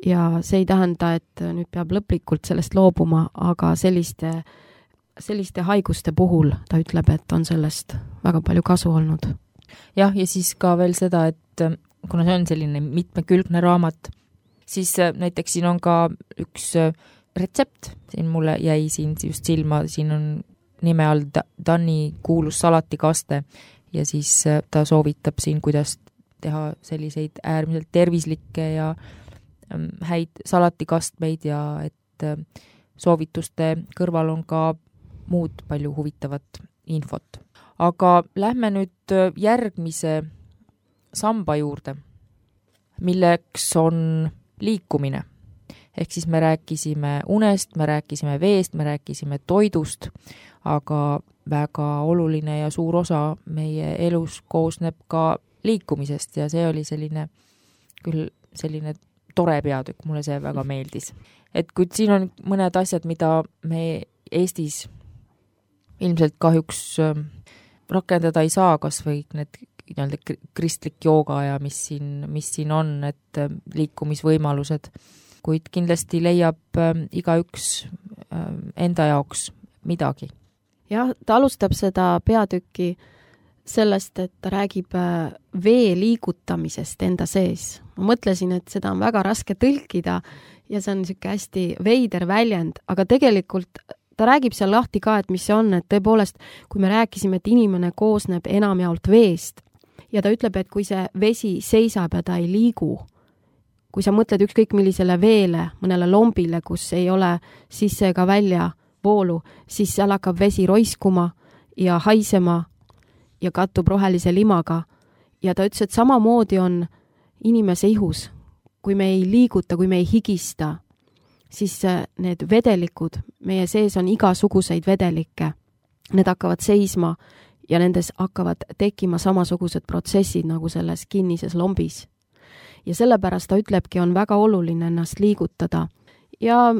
Ja see ei tähenda, et nüüd peab lõplikult sellest loobuma, aga selliste haiguste puhul ta ütleb, et on sellest väga palju kasu olnud.
Jah, ja siis ka veel seda, et kuna see on selline mitmekülgne raamat, siis näiteks siin on ka üks retsept, siin mulle jäi siin just silma, siin on nime all Danni kuulus salatikaste ja siis ta soovitab siin, kuidas teha selliseid äärmiselt tervislikke ja häid salatikastmeid ja et soovituste kõrval on ka muud palju huvitavat infot. Aga lähme nüüd järgmise samba juurde, milleks on liikumine. Ehk siis me rääkisime unest, me rääkisime veest, me rääkisime toidust, aga väga oluline ja suur osa meie elus koosneb ka liikumisest ja see oli selline tore peatükk, mulle see väga meeldis. Et kui siin on mõned asjad, mida me Eestis ilmselt kahjuks rakendada ei saa, kas või need kristlik jooga ja mis siin on, et liikumisvõimalused, kuid kindlasti leiab igaüks enda jaoks midagi.
Jah, ta alustab seda peatükki sellest, et ta räägib vee liigutamisest enda sees. Ma mõtlesin, et seda on väga raske tõlkida ja see on niisugune hästi veider väljend, aga tegelikult ta räägib seal lahti ka, et mis see on, et tõepoolest, kui me rääkisime, et inimene koosneb enamjaolt veest ja ta ütleb, et kui see vesi seisab ja ta ei liigu, kui sa mõtled ükskõik millisele veele, mõnele lombile, kus ei ole sisse ega välja voolu, siis seal hakkab vesi roiskuma ja haisema ja kattub rohelise limaga. Ja ta ütles, et samamoodi on inimese ihus. Kui me ei liiguta, kui me ei higista, siis need vedelikud, meie sees on igasuguseid vedelikke. Need hakkavad seisma ja nendes hakkavad tekkima samasugused protsessid nagu selles kinnises lombis. Ja sellepärast ta ütlebki, on väga oluline ennast liigutada. Ja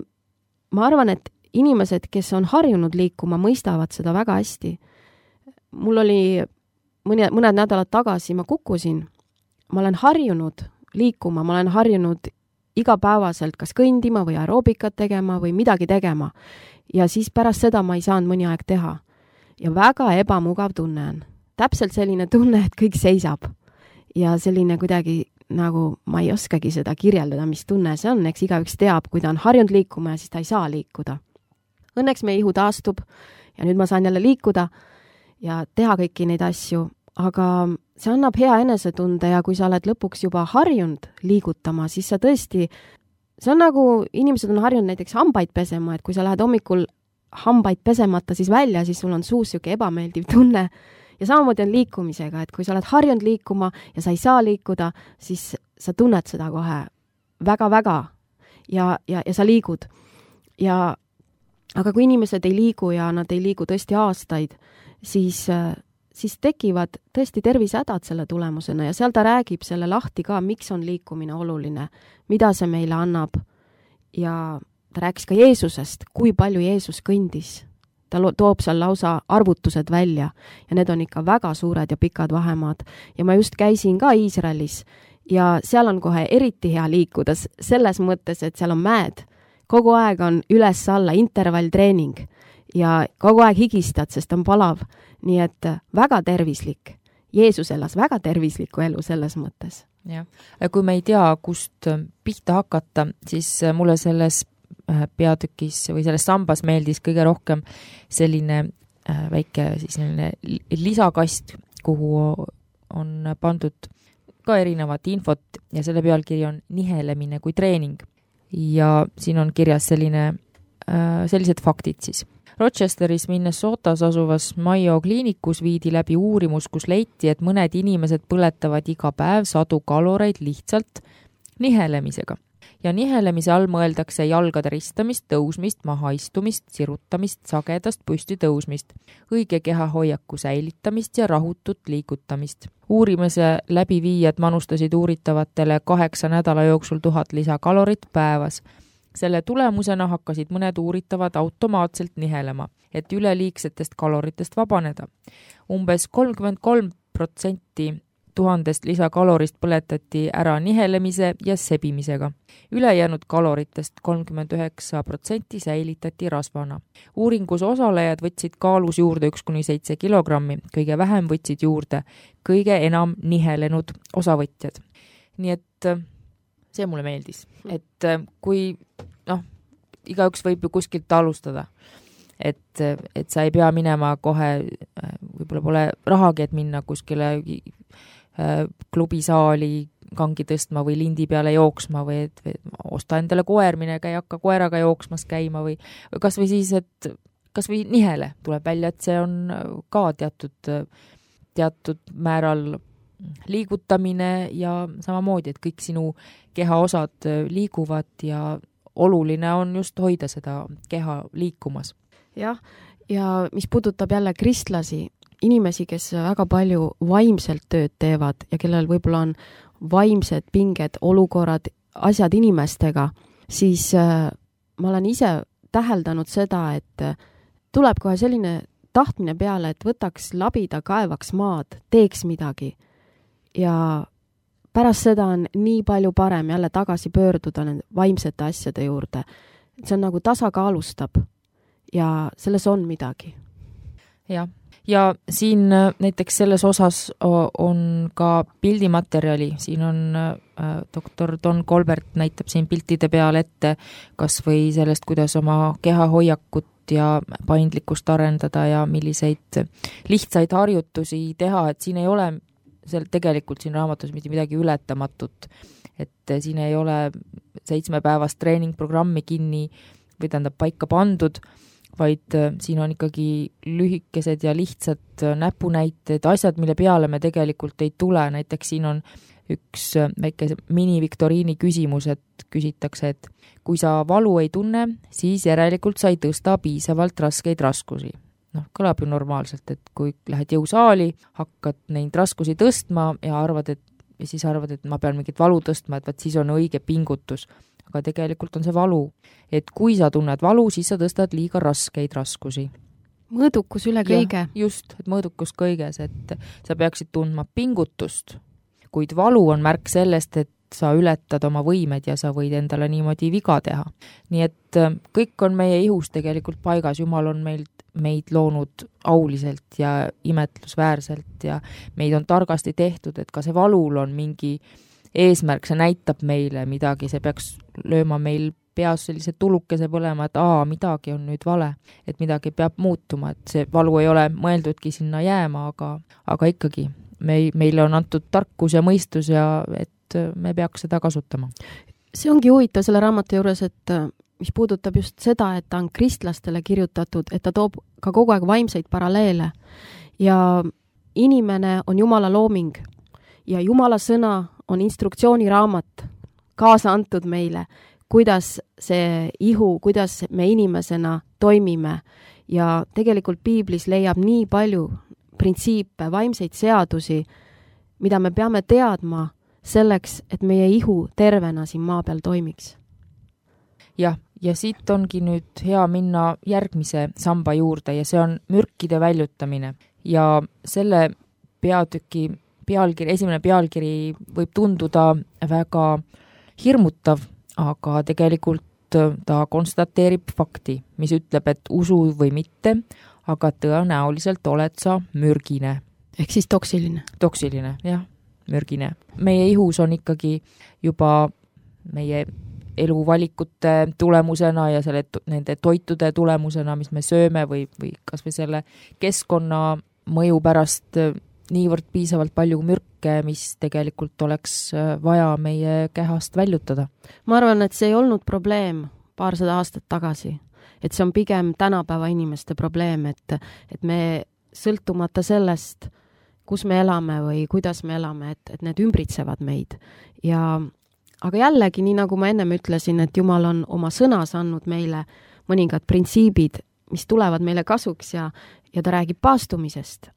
ma arvan, et inimesed, kes on harjunud liikuma, mõistavad seda väga hästi. Mul oli mõned nädalad tagasi, ma kukkusin. Ma olen harjunud liikuma, ma olen harjunud igapäevaselt kas kõndima või aeroobikat tegema või midagi tegema. Ja siis pärast seda ma ei saanud mõni aeg teha. Ja väga ebamugav tunne on. Täpselt selline tunne, et kõik seisab. Ja selline kuidagi nagu ma ei oskagi seda kirjeldada, mis tunne see on, eks igaüks teab, kui ta on harjunud liikuma ja siis ta ei saa liikuda. Õnneks meie ihu taastub ja nüüd ma saan jälle liikuda ja teha kõiki neid asju, aga see annab hea enesetunde ja kui sa oled lõpuks juba harjunud liigutama, siis sa tõesti, see on nagu inimesed on harjunud näiteks hambaid pesema, et kui sa lähed hommikul hambaid pesemata siis välja, siis sul on suus siuke ebameeldiv tunne. Ja samamoodi on liikumisega, et kui sa oled harjunud liikuma ja sa ei saa liikuda, siis sa tunned seda kohe väga-väga ja sa liigud. Aga kui inimesed ei liigu ja nad ei liigu tõesti aastaid, siis siis tekivad tõesti tervisehädad selle tulemusena ja seal ta räägib selle lahti ka, miks on liikumine oluline, mida see meile annab ja ta rääkis ka Jeesusest, kui palju Jeesus kõndis. Ta toob seal lausa arvutused välja ja need on ikka väga suured ja pikad vahemaad. Ja ma just käisin ka Iisraelis ja seal on kohe eriti hea liikuda selles mõttes, et seal on mäed. Kogu aeg on üles-alla intervalltreening ja kogu aeg higistad, sest on palav. Nii et väga tervislik. Jeesus elas väga tervislikku elu selles mõttes.
Ja. Kui me ei tea, kust pihta hakata, siis mulle selles peatükis või selles sambas meeldis kõige rohkem selline väike siis lisakast, kuhu on pandud ka erinevat infot ja selle pealkiri on nihelemine kui treening. Ja siin on kirjas sellised faktid siis. Rochesteris, Minnesotas asuvas Mayo kliinikus viidi läbi uurimus, kus leiti, et mõned inimesed põletavad iga päev 100 kaloreid lihtsalt nihelemisega. Ja nihelemise all mõeldakse jalgade ristamist, tõusmist, mahaistumist, sirutamist, sagedast püsti tõusmist, õige kehahoiaku säilitamist ja rahutut liigutamist. Uurimise läbiviijad manustasid uuritavatele 8 nädala jooksul 1000 lisakalorit päevas. Selle tulemusena hakkasid mõned uuritavad automaatselt nihelema, et üleliigsetest kaloritest vabaneda. Umbes 33% 1000 lisakalorist põletati ära nihelemise ja sebimisega. Ülejäänud kaloritest 39% säilitati rasvana. Uuringus osalejad võtsid kaalus juurde 1-7 kilogrammi, kõige vähem võtsid juurde kõige enam nihelenud osavõtjad. Nii et see mulle meeldis, et kui igaüks võib ju kuskilt alustada, et sa ei pea minema kohe, võib-olla pole rahagi, et minna kuskile klubisaali kangi tõstma või lindi peale jooksma või et osta endale koer, minega ei hakka koeraga jooksmas käima või kas või siis, et kas või nihele tuleb välja, et see on ka teatud määral liigutamine ja samamoodi, et kõik sinu kehaosad liiguvad ja oluline on just hoida seda keha liikumas.
Jah, ja mis puudutab jälle kristlasi, inimesi, kes väga palju vaimselt tööd teevad ja kellel võib-olla on vaimsed pinged, olukorrad, asjad inimestega, siis ma olen ise täheldanud seda, et tuleb kohe selline tahtmine peale, et võtaks labida, kaevaks maad, teeks midagi. Ja pärast seda on nii palju parem jälle tagasi pöörduda nende vaimsete asjade juurde. See on nagu tasakaalustab ja selles on midagi.
Jah. Ja siin näiteks selles osas on ka pildimaterjali, siin on doktor Don Colbert näitab siin piltide peal ette kas või sellest, kuidas oma kehahoiakut ja paindlikkust arendada ja milliseid lihtsaid harjutusi teha, et siin ei ole tegelikult siin raamatus mitte midagi ületamatut, et siin ei ole 7-päevast treeningprogrammi kinni või tähendab paika pandud, vaid siin on ikkagi lühikesed ja lihtsad näpunäited, asjad, mille peale me tegelikult ei tule. Näiteks siin on üks väike mini-viktoriini küsimus, et küsitakse, et kui sa valu ei tunne, siis järelikult sa ei tõsta piisavalt raskeid raskusi. Kõlab ju normaalselt, et kui lähed jõusaali, hakkad neid raskusi tõstma ja siis arvad, et ma pean mingit valu tõstma, et siis on õige pingutus. Aga tegelikult on see valu. Et kui sa tunned valu, siis sa tõstad liiga raskeid raskusi.
Mõõdukus üle kõige.
Just, et mõõdukus kõiges, et sa peaksid tundma pingutust. Kuid valu on märk sellest, et sa ületad oma võimed ja sa võid endale niimoodi viga teha. Nii et kõik on meie ihus tegelikult paigas. Jumal on meid loonud auliselt ja imetlusväärselt ja meid on targasti tehtud, et ka see valul on mingi eesmärk, see näitab meile midagi, see peaks lööma meil peas sellise tulukese põlema, et midagi on nüüd vale, et midagi peab muutuma, et see valu ei ole mõeldudki sinna jääma, aga ikkagi meile on antud tarkus ja mõistus ja et me peaks seda kasutama.
See ongi huvitav selle raamatu juures, et mis puudutab just seda, et ta on kristlastele kirjutatud, et ta toob ka kogu aeg vaimseid paralleele ja inimene on Jumala looming ja Jumala sõna on instruktsiooniraamat kaasa antud meile, kuidas see ihu, kuidas me inimesena toimime ja tegelikult piiblis leiab nii palju printsiipe, vaimseid seadusi, mida me peame teadma selleks, et meie ihu tervena siin maa peal toimiks.
Jah, ja siit ongi nüüd hea minna järgmise samba juurde ja see on mürkide väljutamine. Ja selle peatüki esimene pealkiri võib tunduda väga hirmutav, aga tegelikult ta konstateerib fakti, mis ütleb, et usu või mitte, aga tõenäoliselt oled sa mürgine.
Ehk siis toksiline.
Toksiline, jah, mürgine. Meie ihus on ikkagi juba meie eluvalikute tulemusena ja nende toitude tulemusena, mis me sööme või kas või selle keskkonna mõju pärast niivõrd piisavalt palju mürke, mis tegelikult oleks vaja meie kehast väljutada.
Ma arvan, et see ei olnud probleem paarsada aastat tagasi. Et see on pigem tänapäeva inimeste probleem, et me sõltumata sellest, kus me elame või kuidas me elame, et need ümbritsevad meid. Aga jällegi, nii nagu ma ennem ütlesin, et Jumal on oma sõnas andnud meile mõningad printsiibid, mis tulevad meile kasuks ja ta räägib paastumisest.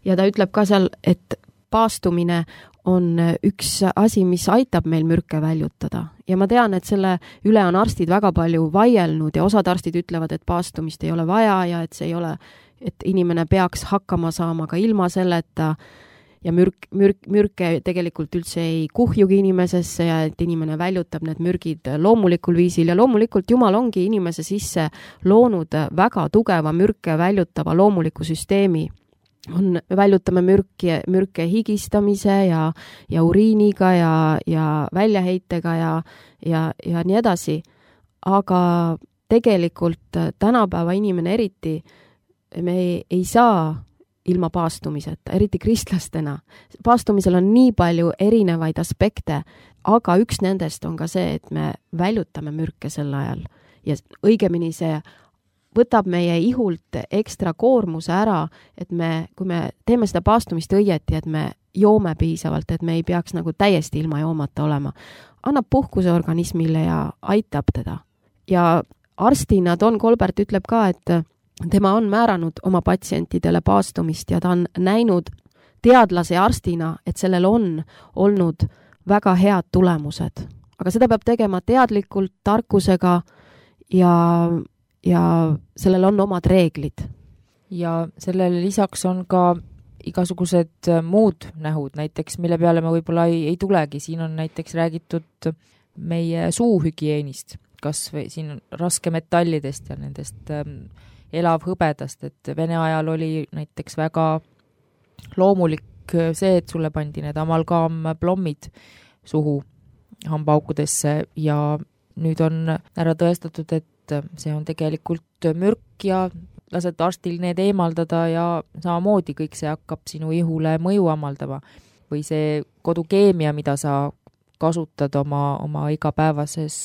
Ja ta ütleb ka seal, et paastumine on üks asi, mis aitab meil mürke väljutada. Ja ma tean, et selle üle on arstid väga palju vaielnud ja osad arstid ütlevad, et paastumist ei ole vaja ja et see ei ole, et inimene peaks hakkama saama ka ilma selleta ja mürke tegelikult üldse ei kuhjugi inimesesse ja et inimene väljutab need mürgid loomulikul viisil ja loomulikult Jumal ongi inimese sisse loonud väga tugeva mürke väljutava loomuliku süsteemi. Me väljutame mürke higistamise ja uriiniga ja väljaheitega ja nii edasi. Aga tegelikult tänapäeva inimene eriti, me ei saa ilma paastumiseta, eriti kristlastena. Paastumisel on nii palju erinevaid aspekte, aga üks nendest on ka see, et me väljutame mürke sel ajal. Ja õigemini see võtab meie ihult ekstra koormuse ära, et kui me teeme seda paastumist õieti, et me joome piisavalt, et me ei peaks nagu täiesti ilma joomata olema. Annab puhkuse organismile ja aitab teda. Ja arstina Don Colbert ütleb ka, et tema on määranud oma patsientidele paastumist ja ta on näinud teadlase ja arstina, et sellel on olnud väga head tulemused. Aga seda peab tegema teadlikult, tarkusega ja sellel on omad reeglid.
Ja sellele lisaks on ka igasugused muud nähud, näiteks mille peale me võib-olla ei tulegi. Siin on näiteks räägitud meie suuhügieenist, kas või siin raskemetallidest ja nendest elavhõbedast, et Vene ajal oli näiteks väga loomulik see, et sulle pandi need amalgaamplommid suhu hambaukudesse ja nüüd on ära tõestatud, et see on tegelikult mürk ja lased arstil need eemaldada ja samamoodi kõik see hakkab sinu ihule mõju amaldama. Või see kodukeemia, mida sa kasutad oma igapäevases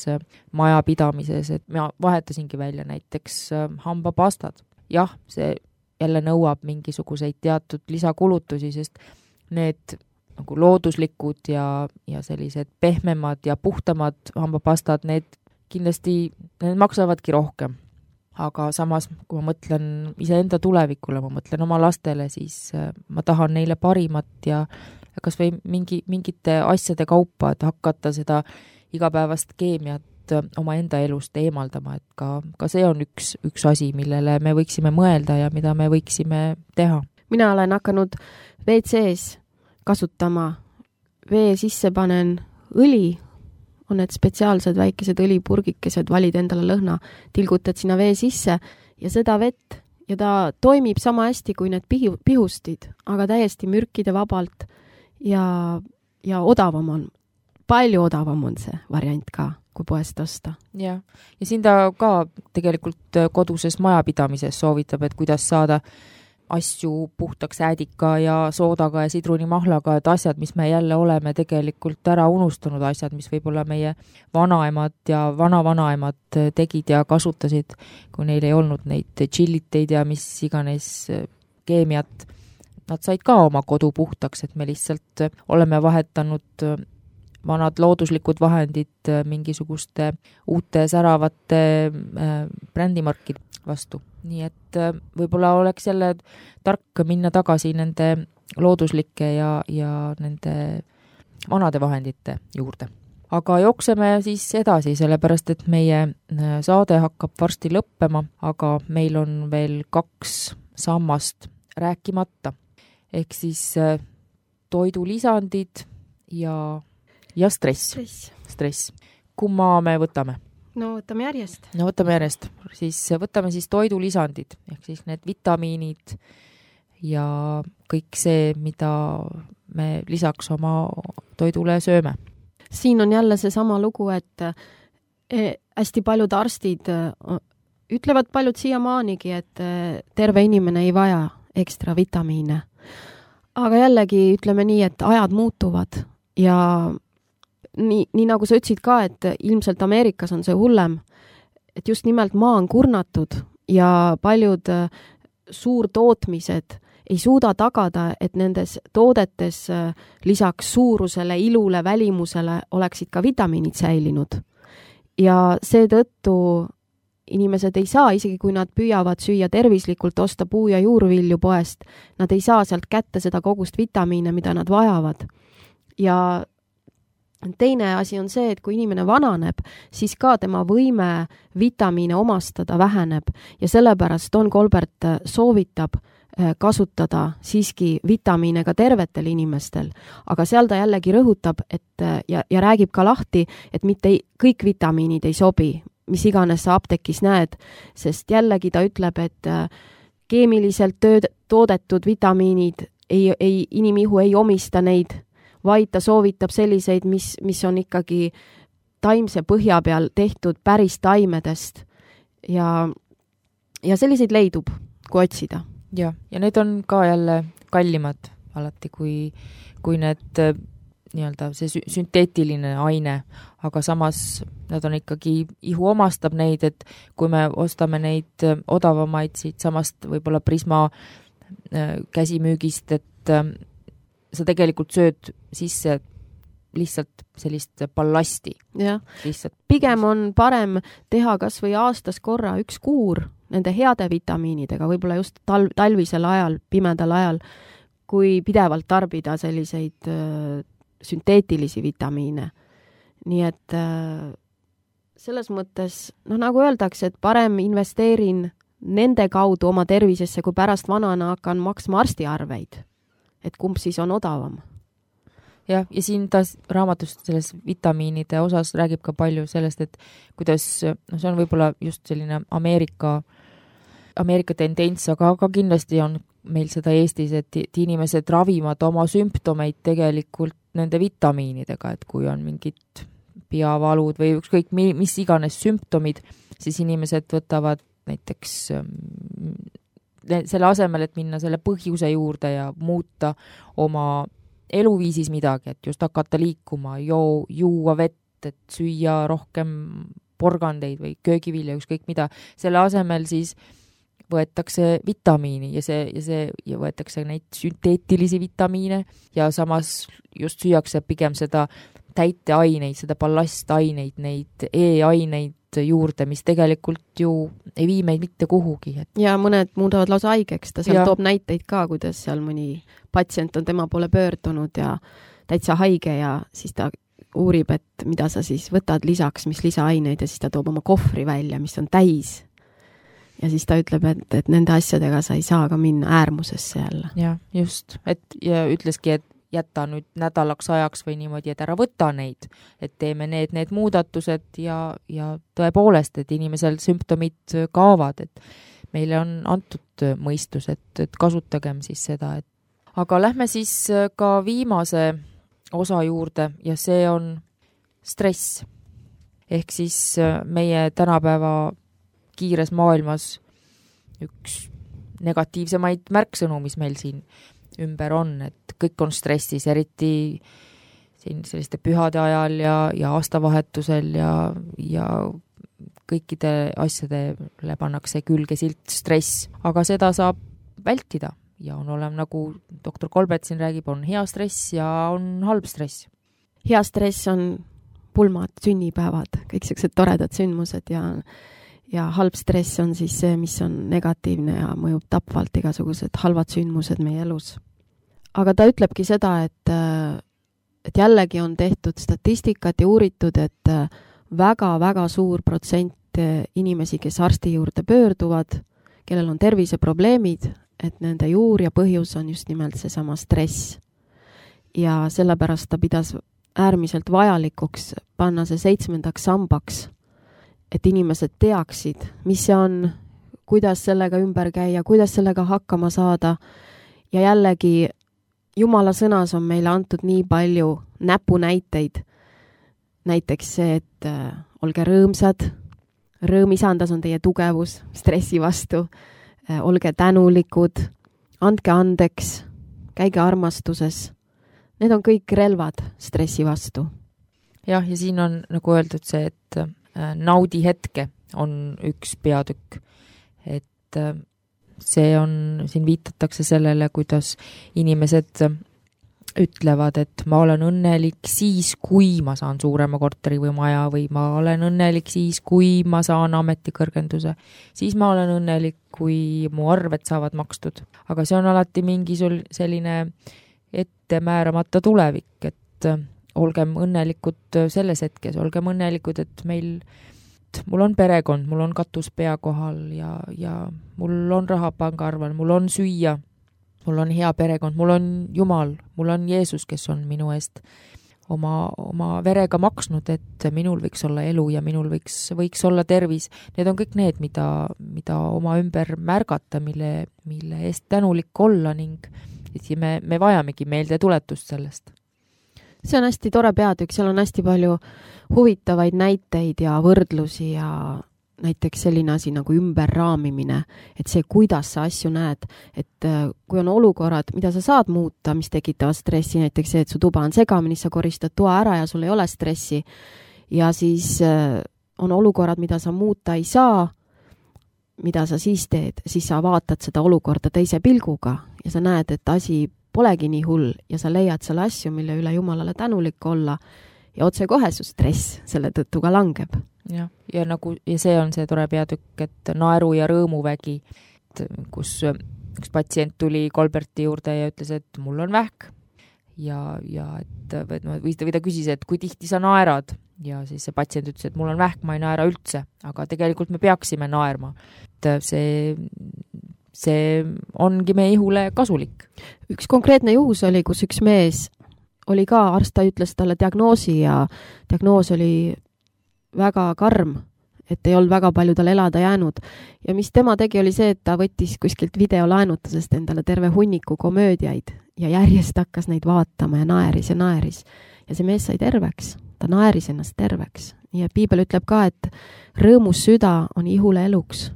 majapidamises, et ma vahetasingi välja näiteks hambapastad. Jah, see jälle nõuab mingisuguseid teatud lisakulutusi, sest need nagu looduslikud ja sellised pehmemad ja puhtamad hambapastad, need kindlasti need maksavadki rohkem. Aga samas, kui ma mõtlen iseenda tulevikule, ma mõtlen oma lastele, siis ma tahan neile parimat ja kas või mingite asjade kaupa, et hakata seda igapäevast keemiat oma enda elust eemaldama, et ka see on üks asi, millele me võiksime mõelda ja mida me võiksime teha.
Mina olen hakanud WC-s kasutama, vee sisse panen õli, on need spetsiaalsed väikesed õlipurgikesed, valid endale lõhna, tilgutad sinna vee sisse ja seda vett ja ta toimib sama hästi kui need pihustid, aga täiesti mürkide vabalt ja odavam on, palju odavam on see variant ka, kui poest osta.
Ja siin ta ka tegelikult koduses majapidamises soovitab, et kuidas saada asju puhtaks äädika ja soodaga ja sidrunimahlaga, et asjad, mis me jälle oleme tegelikult ära unustanud, asjad, mis võib-olla meie vanaemad ja vanavanaemad tegid ja kasutasid, kui neil ei olnud neid chilliteid ja mis iganes keemiat. Nad said ka oma kodu puhtaks, et me lihtsalt oleme vahetanud vanad looduslikud vahendid mingisuguste uute säravate brändimarkid vastu. Nii et võib-olla oleks jälle tark minna tagasi nende looduslike ja nende vanade vahendite juurde. Aga jookseme siis edasi, sellepärast et meie saade hakkab varsti lõppema, aga meil on veel 2 sammast rääkimata. Ehk siis toidulisandid ja stress. Kumma me võtame?
No võtame järjest.
Siis võtame siis toidulisandid, ehk siis need vitamiinid ja kõik see, mida me lisaks oma toidule sööme.
Siin on jälle see sama lugu, et hästi paljud arstid ütlevad paljud siiamaanigi, et terve inimene ei vaja ekstra vitamiine. Aga jällegi ütleme nii, et ajad muutuvad ja nii nagu sa ütlesid ka, et ilmselt Ameerikas on see hullem, et just nimelt maa on kurnatud ja paljud suurtootmised ei suuda tagada, et nendes toodetes lisaks suurusele, ilule, välimusele oleksid ka vitamiinid säilinud. Ja seetõttu inimesed ei saa, isegi kui nad püüavad süüa tervislikult, osta puu- ja juurvilju poest, nad ei saa sealt kätte seda kogust vitamiine, mida nad vajavad. Ja teine asi on see, et kui inimene vananeb, siis ka tema võime vitamiine omastada väheneb ja sellepärast Don Colbert soovitab kasutada siiski vitamiine ka tervetel inimestel, aga seal ta jällegi rõhutab, et ja räägib ka lahti, et mitte kõik vitamiinid ei sobi, mis iganes sa apteekis näed, sest jällegi ta ütleb, et keemiliselt toodetud vitamiinid inimihu ei omista neid, vaid ta soovitab selliseid, mis on ikkagi taimse põhja peal tehtud päris taimedest ja selliseid leidub, kui otsida.
Ja need on ka jälle kallimad alati, kui need nii-öelda see sünteetiline aine, aga samas nad on ikkagi, ihu omastab neid, et kui me ostame neid odavamaid siit samast võib-olla Prisma käsimüügist, et sa tegelikult sööd sisse lihtsalt sellist ballasti.
Jah, pigem on parem teha kas või aastas korra üks kuur nende heade vitamiinidega, võib-olla just talvisel ajal, pimedal ajal, kui pidevalt tarbida selliseid sünteetilisi vitamiine. Nii et selles mõttes, nagu öeldakse, et parem investeerin nende kaudu oma tervisesse, kui pärast vanana hakkan maksma arstiarveid. Et kumb siis on odavam.
Ja siin ta raamatust selles vitamiinide osas räägib ka palju sellest, et kuidas, see on võib-olla just selline Ameerika tendents, aga kindlasti on meil seda Eestis, et inimesed ravivad oma sümptomeid tegelikult nende vitamiinidega, et kui on mingid peavalud või ükskõik mis iganes sümptomid, siis inimesed võtavad näiteks selle asemel, et minna selle põhjuse juurde ja muuta oma eluviisis midagi, et just hakata liikuma, juua vett, et süüa rohkem porgandeid või köögivilja, ükskõik mida. Selle asemel siis võetakse vitamiini ja võetakse neid sünteetilisi vitamiine ja samas just süüakse pigem seda täiteaineid, seda ballastaineid, neid E-aineid juurde, mis tegelikult ju ei vii meid mitte kuhugi.
Ja mõned muudavad lausa haigeks, ta seal toob näiteid ka, kuidas seal mõni patsient on tema poole pöördunud ja täitsa haige ja siis ta uurib, et mida sa siis võtad lisaks, mis lisaaineid ja siis ta toob oma kohvri välja, mis on täis. Ja siis ta ütleb, et nende asjadega sa ei saa ka minna äärmusesse jälle.
Ja just, ja ütleski, et jätta nüüd nädalaks ajaks või niimoodi, et ära võta neid, et teeme need muudatused ja tõepoolest, et inimesel sümptomid kaovad, et meile on antud mõistus, et kasutagem siis seda. Aga lähme siis ka viimase osa juurde ja see on stress. Ehk siis meie tänapäeva kiires maailmas üks negatiivsemaid märksõnu, mis meil siin ümber on, et kõik on stressis, eriti siin selliste pühade ajal ja aastavahetusel ja kõikide asjadele pannakse külge silt stress, aga seda saab vältida ja on olema, nagu doktor Colbert siin räägib, on hea stress ja on halb stress.
Hea stress on pulmad, sünnipäevad, kõik sellised toredad sündmused ja halb stress on siis see, mis on negatiivne ja mõjub tapvalt igasugused halvad sündmused meie elus. Aga ta ütlebki seda, et jällegi on tehtud statistikat ja uuritud, et väga-väga suur protsent inimesi, kes arsti juurde pöörduvad, kellel on terviseprobleemid, et nende juur ja põhjus on just nimelt seesama stress. Ja sellepärast ta pidas äärmiselt vajalikuks panna see 7. sambaks, et inimesed teaksid, mis see on, kuidas sellega ümber käia, kuidas sellega hakkama saada. Ja jällegi Jumala sõnas on meile antud nii palju näpunäiteid. Näiteks see, et olge rõõmsad, rõõm isandas on teie tugevus stressi vastu, olge tänulikud, andke andeks, käige armastuses. Need on kõik relvad stressi vastu.
Jah, ja siin on nagu öeldud see, et naudi hetke on üks peatükk. Et see on, siin viitatakse sellele, kuidas inimesed ütlevad, et ma olen õnnelik siis, kui ma saan suurema korteri või maja, või ma olen õnnelik siis, kui ma saan ametikõrgenduse. Siis ma olen õnnelik, kui mu arved saavad makstud. Aga see on alati mingi selline ette määramata tulevik, et olgem õnnelikud selles hetkes, olgem õnnelikud, et mul on perekond, mul on katus pea kohal ja mul on raha pangaarvel, mul on süüa, mul on hea perekond, mul on Jumal, mul on Jeesus, kes on minu eest oma verega maksnud, et minul võiks olla elu ja minul võiks olla tervis. Need on kõik need, mida oma ümber märgata, mille eest tänulik olla ning me vajamegi meelde tuletust sellest.
See on hästi tore peatükk, seal on hästi palju huvitavaid näiteid ja võrdlusi ja näiteks selline asi nagu ümberraamimine, et see, kuidas sa asju näed, et kui on olukorrad, mida sa saad muuta, mis tekitavad stressi, näiteks see, et su tuba on segamini, sa koristad toa ära ja sul ei ole stressi ja siis on olukorrad, mida sa muuta ei saa, mida sa siis teed, siis sa vaatad seda olukorda teise pilguga ja sa näed, et asi polegi nii hull ja sa leiad selle asju, mille üle Jumalale tänulik olla ja otsekohe su stress selle tõttu ka langeb.
Ja see on see tore peatükk, et naeru ja rõõmuvägi, kus üks patsient tuli Kolberti juurde ja ütles, et mul on vähk ja või ta küsis, et kui tihti sa naerad ja siis see patsient ütles, et mul on vähk, ma ei naera üldse, aga tegelikult me peaksime naerma. Et see ongi meie ihule kasulik.
Üks konkreetne juhus oli, kus üks mees oli ka, arst ta ütles talle diagnoosi ja diagnoos oli väga karm, et ei olnud väga palju tal elada jäänud. Ja mis tema tegi, oli see, et ta võttis kuskilt videolaenutusest endale terve hunniku komöödiaid ja järjest hakkas neid vaatama ja naeris. Ja see mees sai terveks, ta naeris ennast terveks. Nii et Piibel ütleb ka, et rõõmus süda on ihule eluks.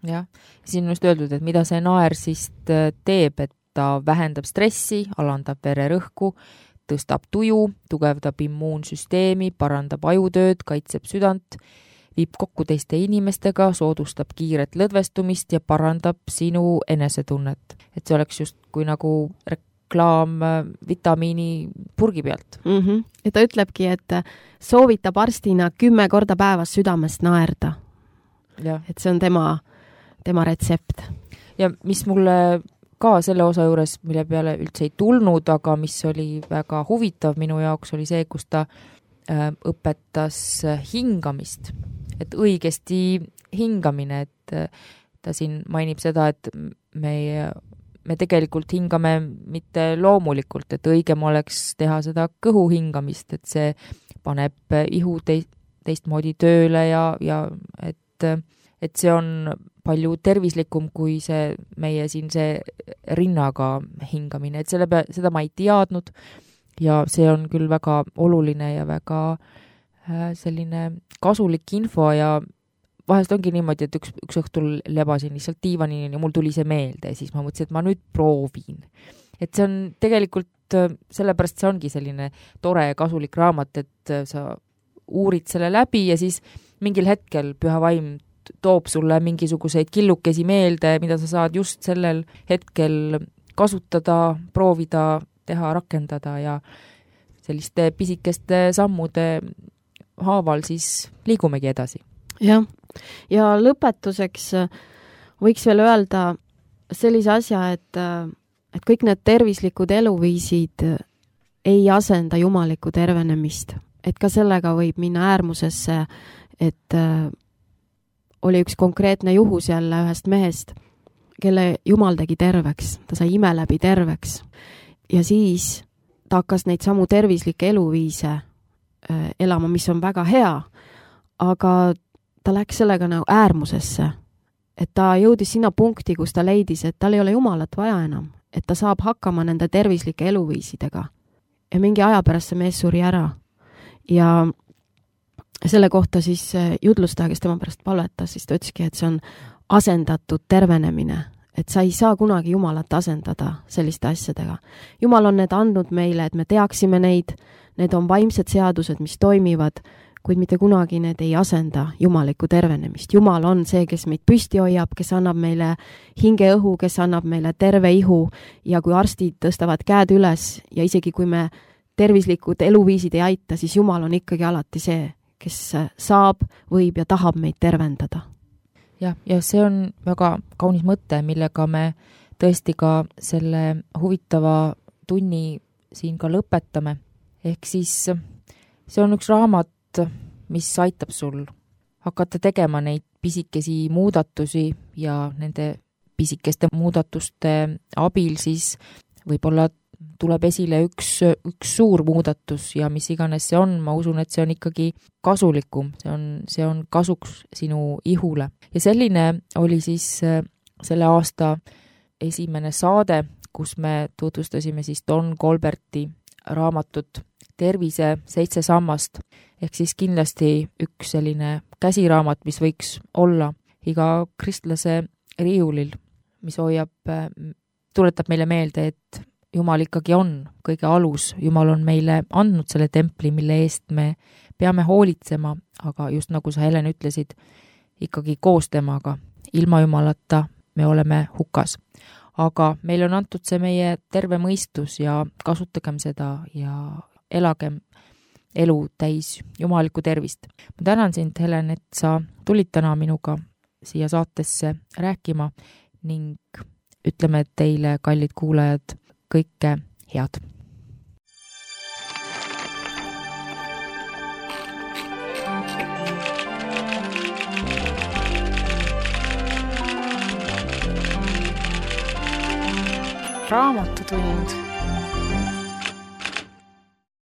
Jah, siin on just öeldud, et mida see naer siis teeb, et ta vähendab stressi, alandab vererõhku, tõstab tuju, tugevdab immuunsüsteemi, parandab ajutööd, kaitseb südant, viib kokku teiste inimestega, soodustab kiiret lõdvestumist ja parandab sinu enesetunnet. Et see oleks just kui nagu reklaam vitamiini purgi pealt.
Ja ta ütlebki, et soovitab arstina 10 korda päevas südamest naerda. Ja. Et see on tema retsept.
Ja mis mulle ka selle osa juures, mille peale üldse ei tulnud, aga mis oli väga huvitav minu jaoks, oli see, kus ta õpetas hingamist. Et õigesti hingamine, et ta siin mainib seda, et me tegelikult hingame mitte loomulikult, et õigem oleks teha seda kõhu hingamist, et see paneb ihu teistmoodi tööle ja et see on palju tervislikum kui see meie siin see rinnaga hingamine, et seda ma ei teadnud ja see on küll väga oluline ja väga selline kasulik info ja vahest ongi niimoodi, et üks õhtul lebasin lihtsalt diivanini ja mul tuli see meelde ja siis ma mõtlesin, et ma nüüd proovin. Et see on tegelikult, sellepärast see ongi selline tore ja kasulik raamat, et sa uurid selle läbi ja siis mingil hetkel Püha Vaim toob sulle mingisuguseid killukesi meelde, mida sa saad just sellel hetkel kasutada, proovida, teha, rakendada ja selliste pisikeste sammude haaval siis liigumegi edasi.
Jah, Ja lõpetuseks võiks veel öelda sellise asja, et kõik need tervislikud eluviisid ei asenda jumalikku tervenemist. Et ka sellega võib minna äärmusesse, et oli üks konkreetne juhus jälle ühest mehest, kelle jumal tegi terveks, ta sai ime läbi terveks. Ja siis ta hakkas neid samu tervislikke eluviise elama, mis on väga hea, aga ta läks sellega nagu äärmusesse. Et ta jõudis sinna punkti, kus ta leidis, et tal ei ole jumalat vaja enam, et ta saab hakkama nende tervislike eluviisidega. Ja mingi aja pärast see mees suri ära. Ja selle kohta siis judlustaja, kes tema pärast palvetas, siis ta ütleski, et see on asendatud tervenemine, et sa ei saa kunagi Jumalat asendada selliste asjadega. Jumal on need andnud meile, et me teaksime neid, need on vaimsed seadused, mis toimivad, kuid mitte kunagi need ei asenda jumalikku tervenemist. Jumal on see, kes meid püsti hoiab, kes annab meile hingeõhu, kes annab meile terve ihu ja kui arstid tõstavad käed üles ja isegi kui me tervislikud eluviisid ei aita, siis Jumal on ikkagi alati see, kes saab, võib ja tahab meid tervendada.
Ja see on väga kaunis mõte, millega me tõesti ka selle huvitava tunni siin ka lõpetame. Ehk siis see on üks raamat, mis aitab sul hakata tegema neid pisikesi muudatusi ja nende pisikeste muudatuste abil siis võib-olla tuleb esile üks suur muudatus ja mis iganes see on, ma usun, et see on ikkagi kasulikum, see on kasuks sinu ihule. Ja selline oli siis selle aasta esimene saade, kus me tutvustasime siis Don Colberti raamatut Tervise 7 sammast, ehk siis kindlasti üks selline käsiraamat, mis võiks olla iga kristlase riiulil, mis tuletab meile meelde, et Jumal ikkagi on kõige alus, Jumal on meile andnud selle templi, mille eest me peame hoolitsema, aga just nagu sa, Helen, ütlesid, ikkagi koos temaga, ilma Jumalata me oleme hukas. Aga meil on antud see meie terve mõistus ja kasutagem seda ja elagem elu täis jumalikku tervist. Ma tänan sind, Helen, et sa tulid täna minuga siia saatesse rääkima ning ütleme teile, kallid kuulajad, kõike head.
Raamatutund